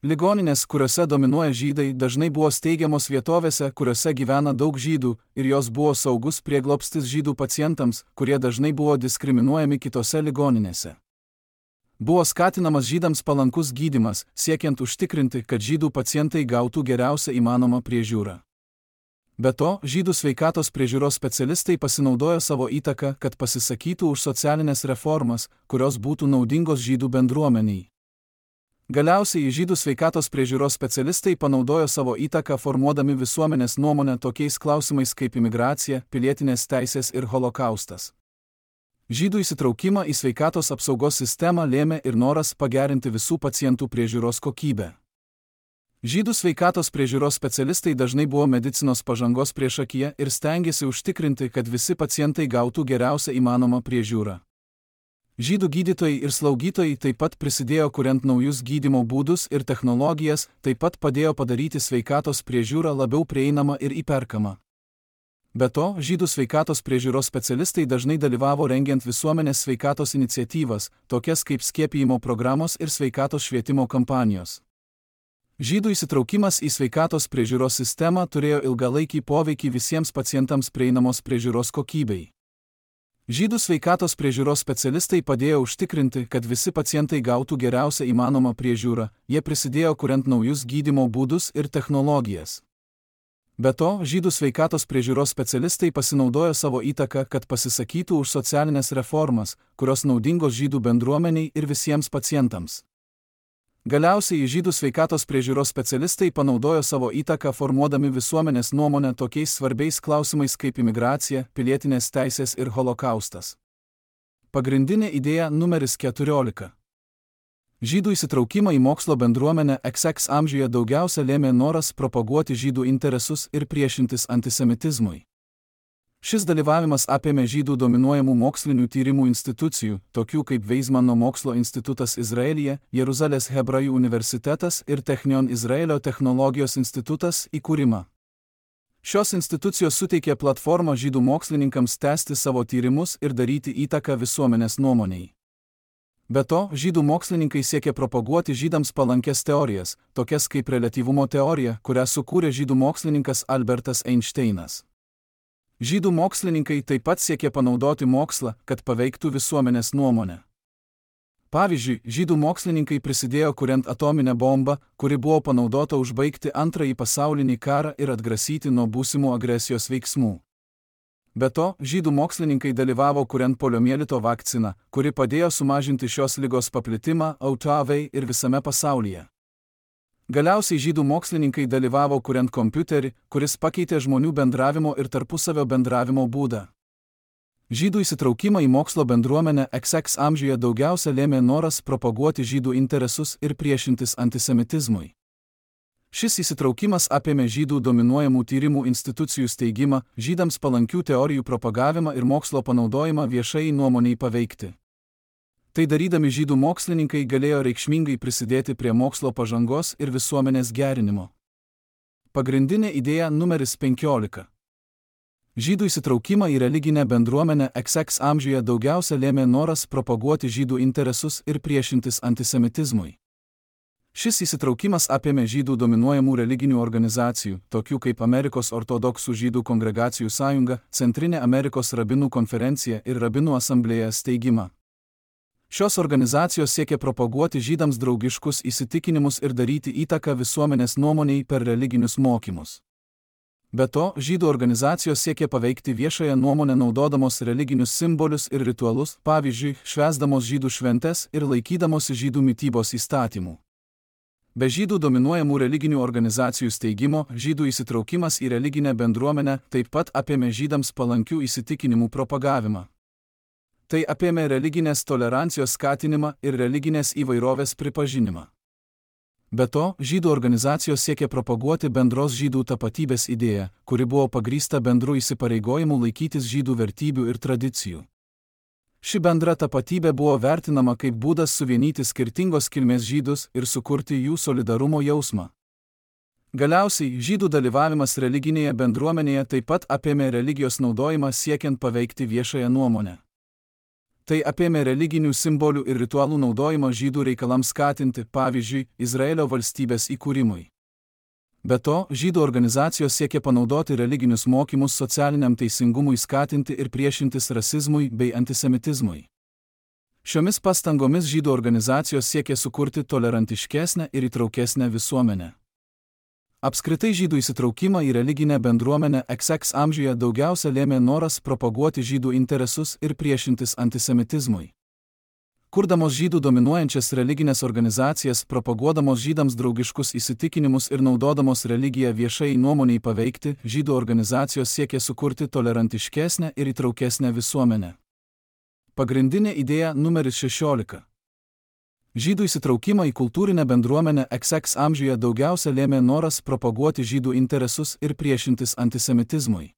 A: Ligoninės, kuriuose dominuoja žydai, dažnai buvo steigiamos vietovėse, kuriuose gyvena daug žydų, ir jos buvo saugus prieglobstis žydų pacientams, kurie dažnai buvo diskriminuojami kitose ligoninėse. Buvo skatinamas žydams palankus gydymas, siekiant užtikrinti, kad žydų pacientai gautų geriausią įmanomą priežiūrą. Be to, žydų sveikatos priežiūros specialistai pasinaudojo savo įtaką, kad pasisakytų už socialinės reformas, kurios būtų naudingos žydų bendruomeniai. Galiausiai žydų sveikatos priežiūros specialistai panaudojo savo įtaką formuodami visuomenės nuomonę tokiais klausimais kaip imigracija, pilietinės teisės ir holokaustas. Žydų įsitraukimą į sveikatos apsaugos sistemą lėmė ir noras pagerinti visų pacientų priežiūros kokybę. Žydų sveikatos priežiūros specialistai dažnai buvo medicinos pažangos priešakyje ir stengėsi užtikrinti, kad visi pacientai gautų geriausią įmanomą priežiūrą. Žydų gydytojai ir slaugytojai taip pat prisidėjo kuriant naujus gydymo būdus ir technologijas, taip pat padėjo padaryti sveikatos priežiūrą labiau prieinamą ir įperkamą. Be to, žydų sveikatos priežiūros specialistai dažnai dalyvavo rengiant visuomenės sveikatos iniciatyvas, tokias kaip skiepijimo programos ir sveikatos švietimo kampanijos. Žydų įsitraukimas į sveikatos priežiūros sistemą turėjo ilgalaikį poveikį visiems pacientams prieinamos priežiūros kokybei. Žydų sveikatos priežiūros specialistai padėjo užtikrinti, kad visi pacientai gautų geriausią įmanomą priežiūrą, jie prisidėjo kuriant naujus gydymo būdus ir technologijas. Be to, žydų sveikatos priežiūros specialistai pasinaudojo savo įtaką, kad pasisakytų už socialinės reformas, kurios naudingos žydų bendruomeniai ir visiems pacientams. Galiausiai žydų sveikatos priežiūros specialistai panaudojo savo įtaką formuodami visuomenės nuomonę tokiais svarbiais klausimais kaip imigracija, pilietinės teisės ir holokaustas. Pagrindinė idėja numeris keturiolika. Žydų įsitraukimą į mokslo bendruomenę X X amžiuje daugiausia lėmė noras propaguoti žydų interesus ir priešintis antisemitizmui. Šis dalyvavimas apėmė žydų dominuojamų mokslinių tyrimų institucijų, tokių kaip Weizmano mokslo institutas Izraelyje, Jeruzalės Hebrajų universitetas ir Technion Izraelio technologijos institutas įkūrimą. Šios institucijos suteikė platformą žydų mokslininkams tęsti savo tyrimus ir daryti įtaką visuomenės nuomoniai. Be to, žydų mokslininkai siekė propaguoti žydams palankės teorijas, tokias kaip reliatyvumo teorija, kurią sukūrė žydų mokslininkas Albertas Einšteinas. Žydų mokslininkai taip pat siekė panaudoti mokslą, kad paveiktų visuomenės nuomonę. Pavyzdžiui, žydų mokslininkai prisidėjo kuriant atominę bombą, kuri buvo panaudota užbaigti antrąjį pasaulinį karą ir atgrasyti nuo būsimų agresijos veiksmų. Be to, žydų mokslininkai dalyvavo kuriant poliomielito vakciną, kuri padėjo sumažinti šios ligos paplitimą O T V ir visame pasaulyje. Galiausiai žydų mokslininkai dalyvavo kuriant kompiuterį, kuris pakeitė žmonių bendravimo ir tarpusavio bendravimo būdą. Žydų įsitraukimą į mokslo bendruomenę X X amžiuje daugiausia lėmė noras propaguoti žydų interesus ir priešintis antisemitizmui. Šis įsitraukimas apėmė žydų dominuojamų tyrimų institucijų steigimą, žydams palankių teorijų propagavimą ir mokslo panaudojimą viešai nuomoniai paveikti. Tai darydami žydų mokslininkai galėjo reikšmingai prisidėti prie mokslo pažangos ir visuomenės gerinimo. Pagrindinė idėja numeris penkiolika. Žydų įsitraukimą į religinę bendruomenę X X amžiuje daugiausia lėmė noras propaguoti žydų interesus ir priešintis antisemitizmui. Šis įsitraukimas apėmė žydų dominuojamų religinių organizacijų, tokių kaip Amerikos ortodoksų žydų kongregacijų sąjunga, Centrinė Amerikos rabinų konferencija ir rabinų asamblėja steigimą. Šios organizacijos siekia propaguoti žydams draugiškus įsitikinimus ir daryti įtaką visuomenės nuomoniai per religinius mokymus. Be to, žydų organizacijos siekė paveikti viešąją nuomonę naudodamos religinius simbolius ir ritualus, pavyzdžiui, švęsdamos žydų šventes ir laikydamosi žydų mitybos įstatymų. Be žydų dominuojamų religinių organizacijų steigimo, žydų įsitraukimas į religinę bendruomenę taip pat apėmė žydams palankių įsitikinimų propagavimą. Tai apėmė religinės tolerancijos skatinimą ir religinės įvairovės pripažinimą. Be to, žydų organizacijos siekė propaguoti bendros žydų tapatybės idėją, kuri buvo pagrįsta bendru įsipareigojimu laikytis žydų vertybių ir tradicijų. Ši bendra tapatybė buvo vertinama kaip būdas suvienyti skirtingos kilmės žydus ir sukurti jų solidarumo jausmą. Galiausiai, žydų dalyvavimas religinėje bendruomenėje taip pat apėmė religijos naudojimą siekiant paveikti viešąją nuomonę. Tai apėmė religinių simbolių ir ritualų naudojimą žydų reikalams skatinti, pavyzdžiui, Izraelio valstybės įkūrimui. Be to, žydų organizacijos siekė panaudoti religinius mokymus socialiniam teisingumui skatinti ir priešintis rasizmui bei antisemitizmui. Šiomis pastangomis žydų organizacijos siekė sukurti tolerantiškesnę ir įtraukesnę visuomenę. Apskritai žydų įsitraukimą į religinę bendruomenę iks iks amžiuje daugiausia lėmė noras propaguoti žydų interesus ir priešintis antisemitizmui. Kurdamos žydų dominuojančias religinės organizacijas, propaguodamos žydams draugiškus įsitikinimus ir naudodamos religiją viešai nuomoniai paveikti, žydų organizacijos siekė sukurti tolerantiškesnę ir įtraukesnę visuomenę. Pagrindinė idėja numeris šešiolika. Žydų įsitraukimą į kultūrinę bendruomenę iks iks amžiuje daugiausia lėmė noras propaguoti žydų interesus ir priešintis antisemitizmui.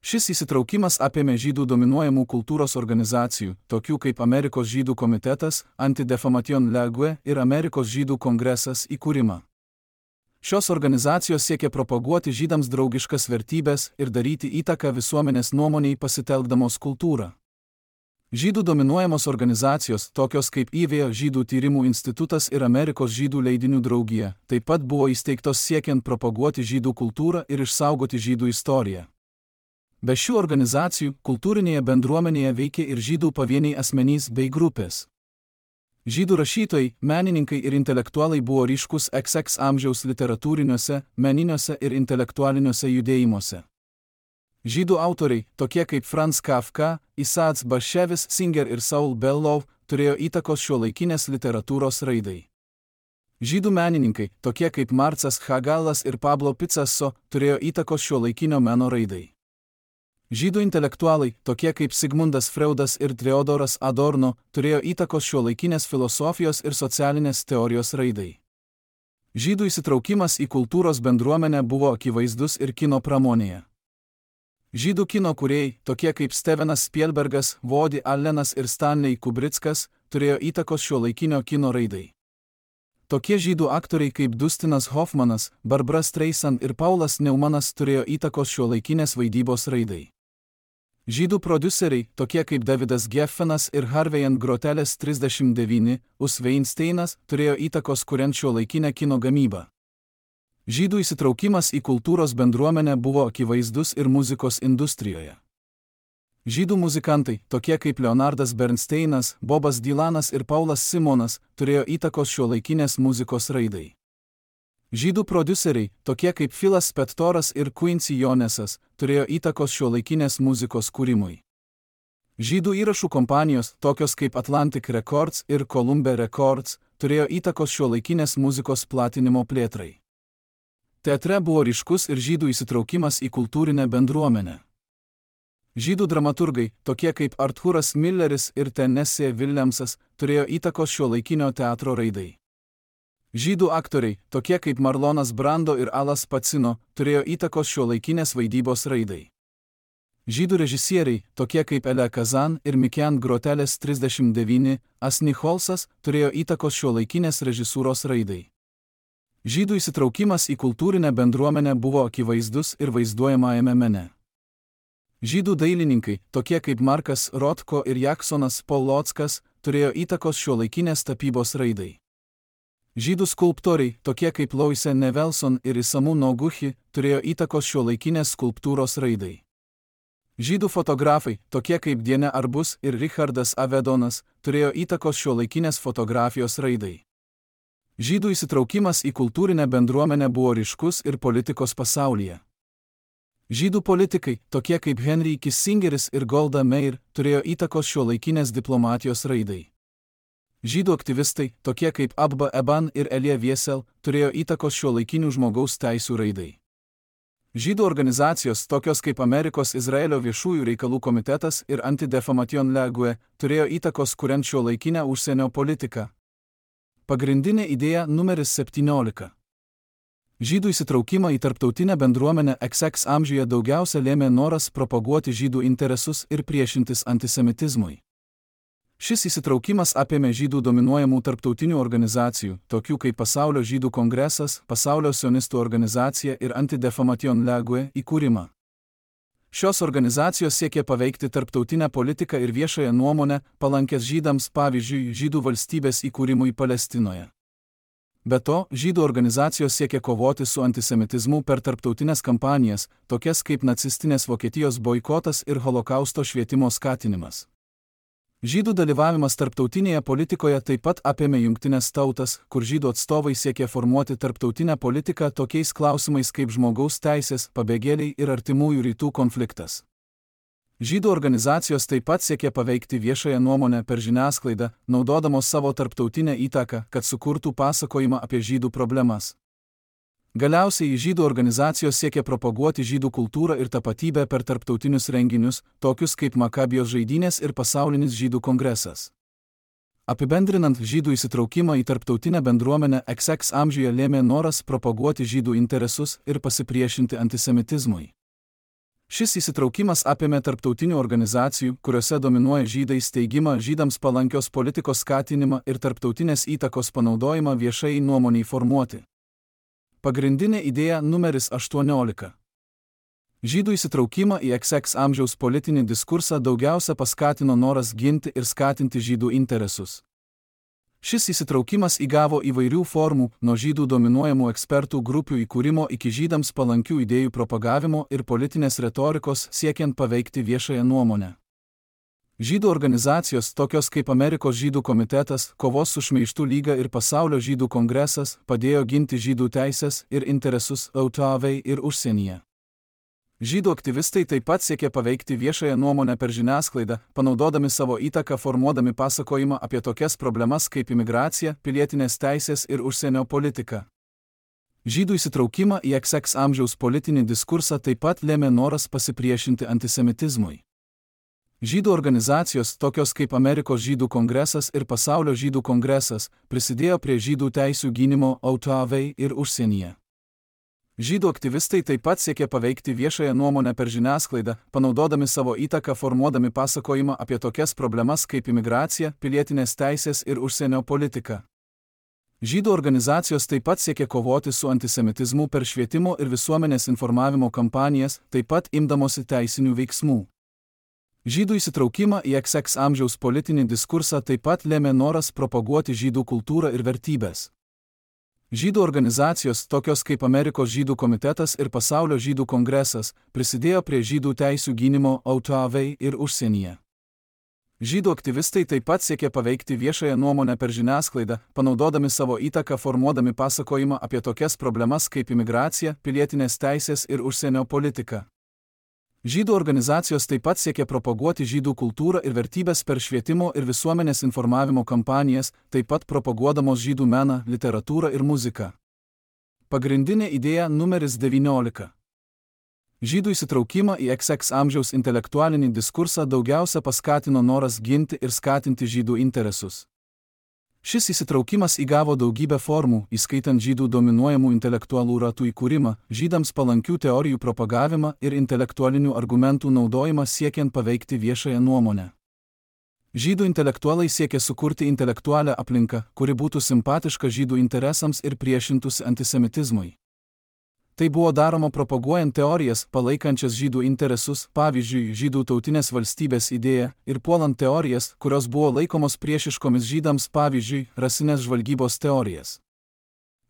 A: Šis įsitraukimas apėmė žydų dominuojamų kultūros organizacijų, tokių kaip Amerikos žydų komitetas, Anti-Defamation League ir Amerikos žydų kongresas įkūrimą. Šios organizacijos siekė propaguoti žydams draugiškas vertybės ir daryti įtaką visuomenės nuomoniai pasitelkdamos kultūrą. Žydų dominuojamos organizacijos, tokios kaip I V žydų tyrimų institutas ir Amerikos žydų leidinių draugija, taip pat buvo įsteigtos siekiant propaguoti žydų kultūrą ir išsaugoti žydų istoriją. Be šių organizacijų, kultūrinėje bendruomenėje veikė ir žydų pavieniai asmenys bei grupės. Žydų rašytojai, menininkai ir intelektualai buvo ryškus iks iks amžiaus literatūriniuose, meniniuose ir intelektualiniuose judėjimuose. Žydų autoriai, tokie kaip Franz Kafka, Isaac Bashevis Singer ir Saul Bellow, turėjo įtakos šiuolaikinės literatūros raidai. Žydų menininkai, tokie kaip Marcas Chagalas ir Pablo Picasso, turėjo įtakos šiuolaikinio meno raidai. Žydų intelektualai, tokie kaip Sigmundas Freudas ir Theodoras Adorno, turėjo įtakos šiuolaikinės filosofijos ir socialinės teorijos raidai. Žydų įsitraukimas į kultūros bendruomenę buvo akivaizdus ir kino pramonėje. Žydų kino kūrėjai, tokie kaip Stevenas Spielbergas, Woody Allenas ir Stanley Kubrickas, turėjo įtakos šiuolaikinio kino raidai. Tokie žydų aktoriai kaip Dustinas Hoffmanas, Barbara Streisand ir Paulas Neumanas turėjo įtakos šiuolaikinės vaidybos raidai. Žydų prodiuseriai, tokie kaip Davidas Geffenas ir Harvey and Grotelis trisdešimt devyni, Us Weinsteinas, turėjo įtakos kuriant šiuolaikinę kino gamybą. Žydų įsitraukimas į kultūros bendruomenę buvo akivaizdus ir muzikos industrijoje. Žydų muzikantai, tokie kaip Leonardas Bernsteinas, Bobas Dylanas ir Paulas Simonas, turėjo įtakos šiuolaikinės muzikos raidai. Žydų prodiuseriai, tokie kaip Philas Spectoras ir Quincy Jonesas, turėjo įtakos šiuolaikinės muzikos kūrimui. Žydų įrašų kompanijos, tokios kaip Atlantic Records ir Columbia Records, turėjo įtakos šiuolaikinės muzikos platinimo plėtrai. Teatre buvo ryškus ir žydų įsitraukimas į kultūrinę bendruomenę. Žydų dramaturgai, tokie kaip Arthuras Milleris ir Tennessee Williamsas, turėjo įtakos šiuolaikinio teatro raidai. Žydų aktoriai, tokie kaip Marlonas Brando ir Alas Pacino, turėjo įtakos šiuolaikinės vaidybos raidai. Žydų režisieriai, tokie kaip Elia Kazan ir Mikian Grotelis trisdešimt devyni, Asni Holsas, turėjo įtakos šiuolaikinės režisūros raidai. Žydų įsitraukimas į kultūrinę bendruomenę buvo akivaizdus ir vaizduojamajame mene. Žydų dailininkai, tokie kaip Markas Rothko ir Jacksonas Polockas, turėjo įtakos šiuolaikinės tapybos raidai. Žydų skulptoriai, tokie kaip Loise Nevelson ir Isamu Noguchi, turėjo įtakos šiuolaikinės skulptūros raidai. Žydų fotografai, tokie kaip Diene Arbus ir Richardas Avedonas, turėjo įtakos šiuolaikinės fotografijos raidai. Žydų įsitraukimas į kultūrinę bendruomenę buvo ryškus ir politikos pasaulyje. Žydų politikai, tokie kaip Henry Kissingeris ir Golda Meir, turėjo įtakos šiuolaikinės diplomatijos raidai. Žydų aktyvistai, tokie kaip Abba Eban ir Elie Wiesel, turėjo įtakos šiuolaikinių žmogaus teisių raidai. Žydų organizacijos, tokios kaip Amerikos Izraelio viešųjų reikalų komitetas ir Anti-Defamation League, turėjo įtakos kuriant šiuolaikinę užsienio politiką. Pagrindinė idėja numeris septyniolika. Žydų įsitraukimą į tarptautinę bendruomenę X X amžiuje daugiausia lėmė noras propaguoti žydų interesus ir priešintis antisemitizmui. Šis įsitraukimas apėmė žydų dominuojamų tarptautinių organizacijų, tokių kaip Pasaulio žydų kongresas, Pasaulio sionistų organizacija ir Anti-Defamation League įkūrimą. Šios organizacijos siekė paveikti tarptautinę politiką ir viešąją nuomonę, palankęs žydams, pavyzdžiui, žydų valstybės įkūrimui Palestinoje. Be to, žydų organizacijos siekė kovoti su antisemitizmu per tarptautinės kampanijas, tokias kaip nacistinės Vokietijos boikotas ir holokausto švietimo skatinimas. Žydų dalyvavimas tarptautinėje politikoje taip pat apėmė Jungtines tautas, kur žydų atstovai siekė formuoti tarptautinę politiką tokiais klausimais kaip žmogaus teisės, pabėgėliai ir artimųjų rytų konfliktas. Žydų organizacijos taip pat siekė paveikti viešąją nuomonę per žiniasklaidą, naudodamos savo tarptautinę įtaką, kad sukurtų pasakojimą apie žydų problemas. Galiausiai žydų organizacijos siekė propaguoti žydų kultūrą ir tapatybę per tarptautinius renginius, tokius kaip Makabijos žaidynės ir pasaulinis žydų kongresas. Apibendrinant, žydų įsitraukimą į tarptautinę bendruomenę X X amžiuje lėmė noras propaguoti žydų interesus ir pasipriešinti antisemitizmui. Šis įsitraukimas apėmė tarptautinių organizacijų, kuriuose dominuoja žydai steigimą, žydams palankios politikos skatinimą ir tarptautinės įtakos panaudojimą viešai nuomoniai formuoti. Pagrindinė idėja numeris aštuoniolika. Žydų įsitraukimą į X X amžiaus politinį diskursą daugiausia paskatino noras ginti ir skatinti žydų interesus. Šis įsitraukimas įgavo įvairių formų, nuo žydų dominuojamų ekspertų grupių įkūrimo iki žydams palankių idėjų propagavimo ir politinės retorikos siekiant paveikti viešąją nuomonę. Žydų organizacijos, tokios kaip Amerikos žydų komitetas, Kovos su šmeižtu lyga ir Pasaulio žydų kongresas, padėjo ginti žydų teisės ir interesus Lietuvai ir užsienyje. Žydų aktyvistai taip pat siekė paveikti viešąją nuomonę per žiniasklaidą, panaudodami savo įtaką formuodami pasakojimą apie tokias problemas kaip imigracija, pilietinės teisės ir užsienio politika. Žydų įsitraukimą į X X amžiaus politinį diskursą taip pat lėmė noras pasipriešinti antisemitizmui. Žydų organizacijos, tokios kaip Amerikos žydų kongresas ir Pasaulio žydų kongresas, prisidėjo prie žydų teisių gynimo Lietuvai ir užsienyje. Žydų aktyvistai taip pat siekė paveikti viešąją nuomonę per žiniasklaidą, panaudodami savo įtaką formuodami pasakojimą apie tokias problemas kaip imigracija, pilietinės teisės ir užsienio politika. Žydų organizacijos taip pat siekė kovoti su antisemitizmu per švietimo ir visuomenės informavimo kampanijas, taip pat imdamosi teisinių veiksmų. Žydų įsitraukimą į X X amžiaus politinį diskursą taip pat lėmė noras propaguoti žydų kultūrą ir vertybės. Žydų organizacijos, tokios kaip Amerikos žydų komitetas ir Pasaulio žydų kongresas, prisidėjo prie žydų teisių gynimo Lietuvai ir užsienyje. Žydų aktyvistai taip pat siekė paveikti viešąją nuomonę per žiniasklaidą, panaudodami savo įtaką formuodami pasakojimą apie tokias problemas kaip imigracija, pilietinės teisės ir užsienio politika. Žydų organizacijos taip pat siekė propaguoti žydų kultūrą ir vertybės per švietimo ir visuomenės informavimo kampanijas, taip pat propaguodamos žydų meną, literatūrą ir muziką. Pagrindinė idėja numeris devyniolika. Žydų įsitraukimą į X X amžiaus intelektualinį diskursą daugiausia paskatino noras ginti ir skatinti žydų interesus. Šis įsitraukimas įgavo daugybę formų, įskaitant žydų dominuojamų intelektualų ratų įkūrimą, žydams palankių teorijų propagavimą ir intelektualinių argumentų naudojimą siekiant paveikti viešąją nuomonę. Žydų intelektualai siekė sukurti intelektualią aplinką, kuri būtų simpatiška žydų interesams ir priešintųsi antisemitizmui. Tai buvo daroma propaguojant teorijas, palaikančias žydų interesus, pavyzdžiui, žydų tautinės valstybės idėją, ir puolant teorijas, kurios buvo laikomos priešiškomis žydams, pavyzdžiui, rasinės žvalgybos teorijas.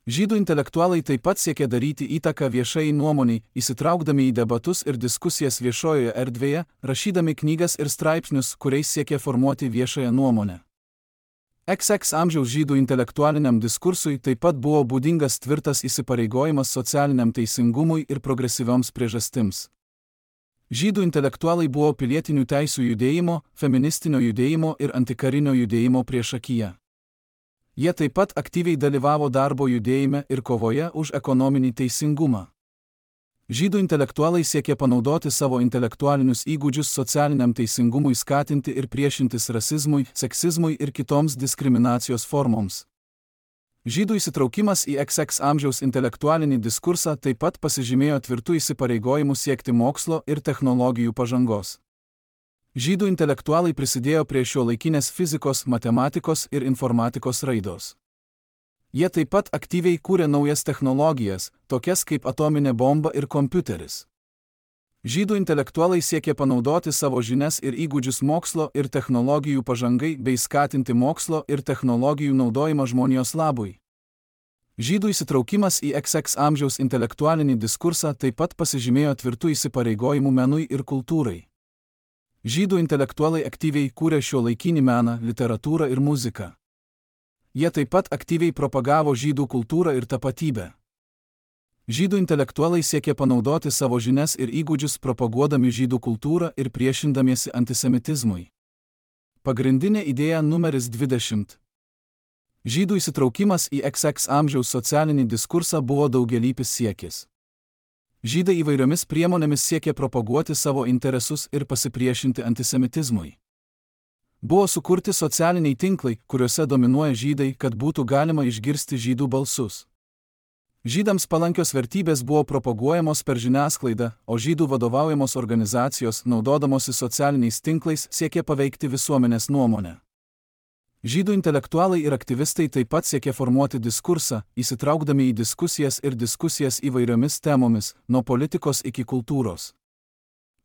A: Žydų intelektualai taip pat siekė daryti įtaką viešai nuomoniai, įsitraukdami į debatus ir diskusijas viešojoje erdvėje, rašydami knygas ir straipsnius, kuriais siekė formuoti viešąją nuomonę. X X amžiaus žydų intelektualiniam diskursui taip pat buvo būdingas tvirtas įsipareigojimas socialiniam teisingumui ir progresyvioms priežastims. Žydų intelektualai buvo pilietinių teisių judėjimo, feministinio judėjimo ir antikarinio judėjimo priešakyje. Jie taip pat aktyviai dalyvavo darbo judėjime ir kovoje už ekonominį teisingumą. Žydų intelektualai siekė panaudoti savo intelektualinius įgūdžius socialiniam teisingumui skatinti ir priešintis rasizmui, seksizmui ir kitoms diskriminacijos formoms. Žydų įsitraukimas į iks iks amžiaus intelektualinį diskursą taip pat pasižymėjo tvirtų įsipareigojimų siekti mokslo ir technologijų pažangos. Žydų intelektualai prisidėjo prie šiuolaikinės fizikos, matematikos ir informatikos raidos. Jie taip pat aktyviai kūrė naujas technologijas, tokias kaip atominė bomba ir kompiuteris. Žydų intelektualai siekė panaudoti savo žinias ir įgūdžius mokslo ir technologijų pažangai bei skatinti mokslo ir technologijų naudojimą žmonijos labui. Žydų įsitraukimas į iks iks amžiaus intelektualinį diskursą taip pat pasižymėjo tvirtų įsipareigojimų menui ir kultūrai. Žydų intelektualai aktyviai kūrė šiuolaikinį meną, literatūrą ir muziką. Jie taip pat aktyviai propagavo žydų kultūrą ir tapatybę. Žydų intelektualai siekė panaudoti savo žinias ir įgūdžius propaguodami žydų kultūrą ir priešindamiesi antisemitizmui. Pagrindinė idėja numeris dvidešimt. Žydų įsitraukimas į iks iks amžiaus socialinį diskursą buvo daugialypis siekis. Žydai įvairiomis priemonėmis siekė propaguoti savo interesus ir pasipriešinti antisemitizmui. Buvo sukurti socialiniai tinklai, kuriuose dominuoja žydai, kad būtų galima išgirsti žydų balsus. Žydams palankios vertybės buvo propaguojamos per žiniasklaidą, o žydų vadovaujamos organizacijos, naudodamosi socialiniais tinklais, siekė paveikti visuomenės nuomonę. Žydų intelektualai ir aktyvistai taip pat siekė formuoti diskursą, įsitraukdami į diskusijas ir diskusijas įvairiomis temomis, nuo politikos iki kultūros.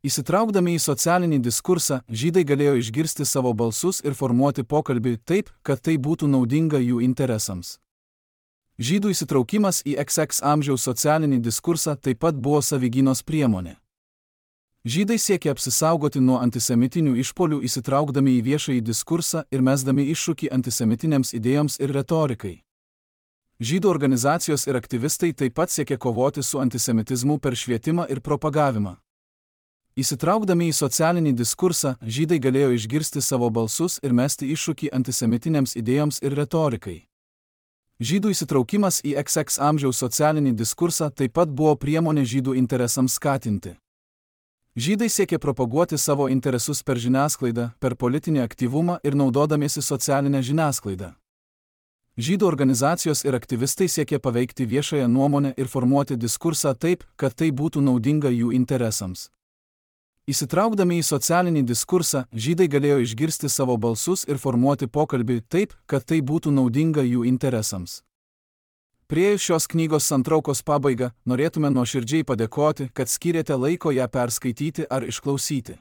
A: Įsitraukdami į socialinį diskursą, žydai galėjo išgirsti savo balsus ir formuoti pokalbį taip, kad tai būtų naudinga jų interesams. Žydų įsitraukimas į iks iks amžiaus socialinį diskursą taip pat buvo savigynos priemonė. Žydai siekė apsisaugoti nuo antisemitinių išpuolių įsitraukdami į viešąjį diskursą ir mesdami iššūkį antisemitinėms idėjoms ir retorikai. Žydų organizacijos ir aktyvistai taip pat siekė kovoti su antisemitizmu per švietimą ir propagavimą. Įsitraukdami į socialinį diskursą, žydai galėjo išgirsti savo balsus ir mesti iššūkį antisemitinėms idėjoms ir retorikai. Žydų įsitraukimas į iks iks amžiaus socialinį diskursą taip pat buvo priemonė žydų interesams skatinti. Žydai siekė propaguoti savo interesus per žiniasklaidą, per politinį aktyvumą ir naudodamiesi socialinę žiniasklaidą. Žydų organizacijos ir aktyvistai siekė paveikti viešąją nuomonę ir formuoti diskursą taip, kad tai būtų naudinga jų interesams. Įsitraukdami į socialinį diskursą, žydai galėjo išgirsti savo balsus ir formuoti pokalbį taip, kad tai būtų naudinga jų interesams. Priėjus šios knygos santraukos pabaigą, norėtume nuoširdžiai padėkoti, kad skyrėte laiko ją perskaityti ar išklausyti.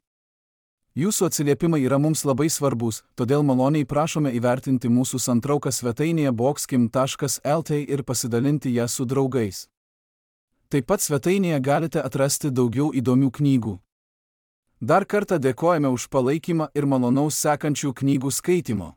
A: Jūsų atsiliepimai yra mums labai svarbus, todėl maloniai prašome įvertinti mūsų santrauką svetainėje boxkim taškas lt ir pasidalinti ją su draugais. Taip pat svetainėje galite atrasti daugiau įdomių knygų. Dar kartą dėkojame už palaikymą ir malonaus sekančių knygų skaitimo.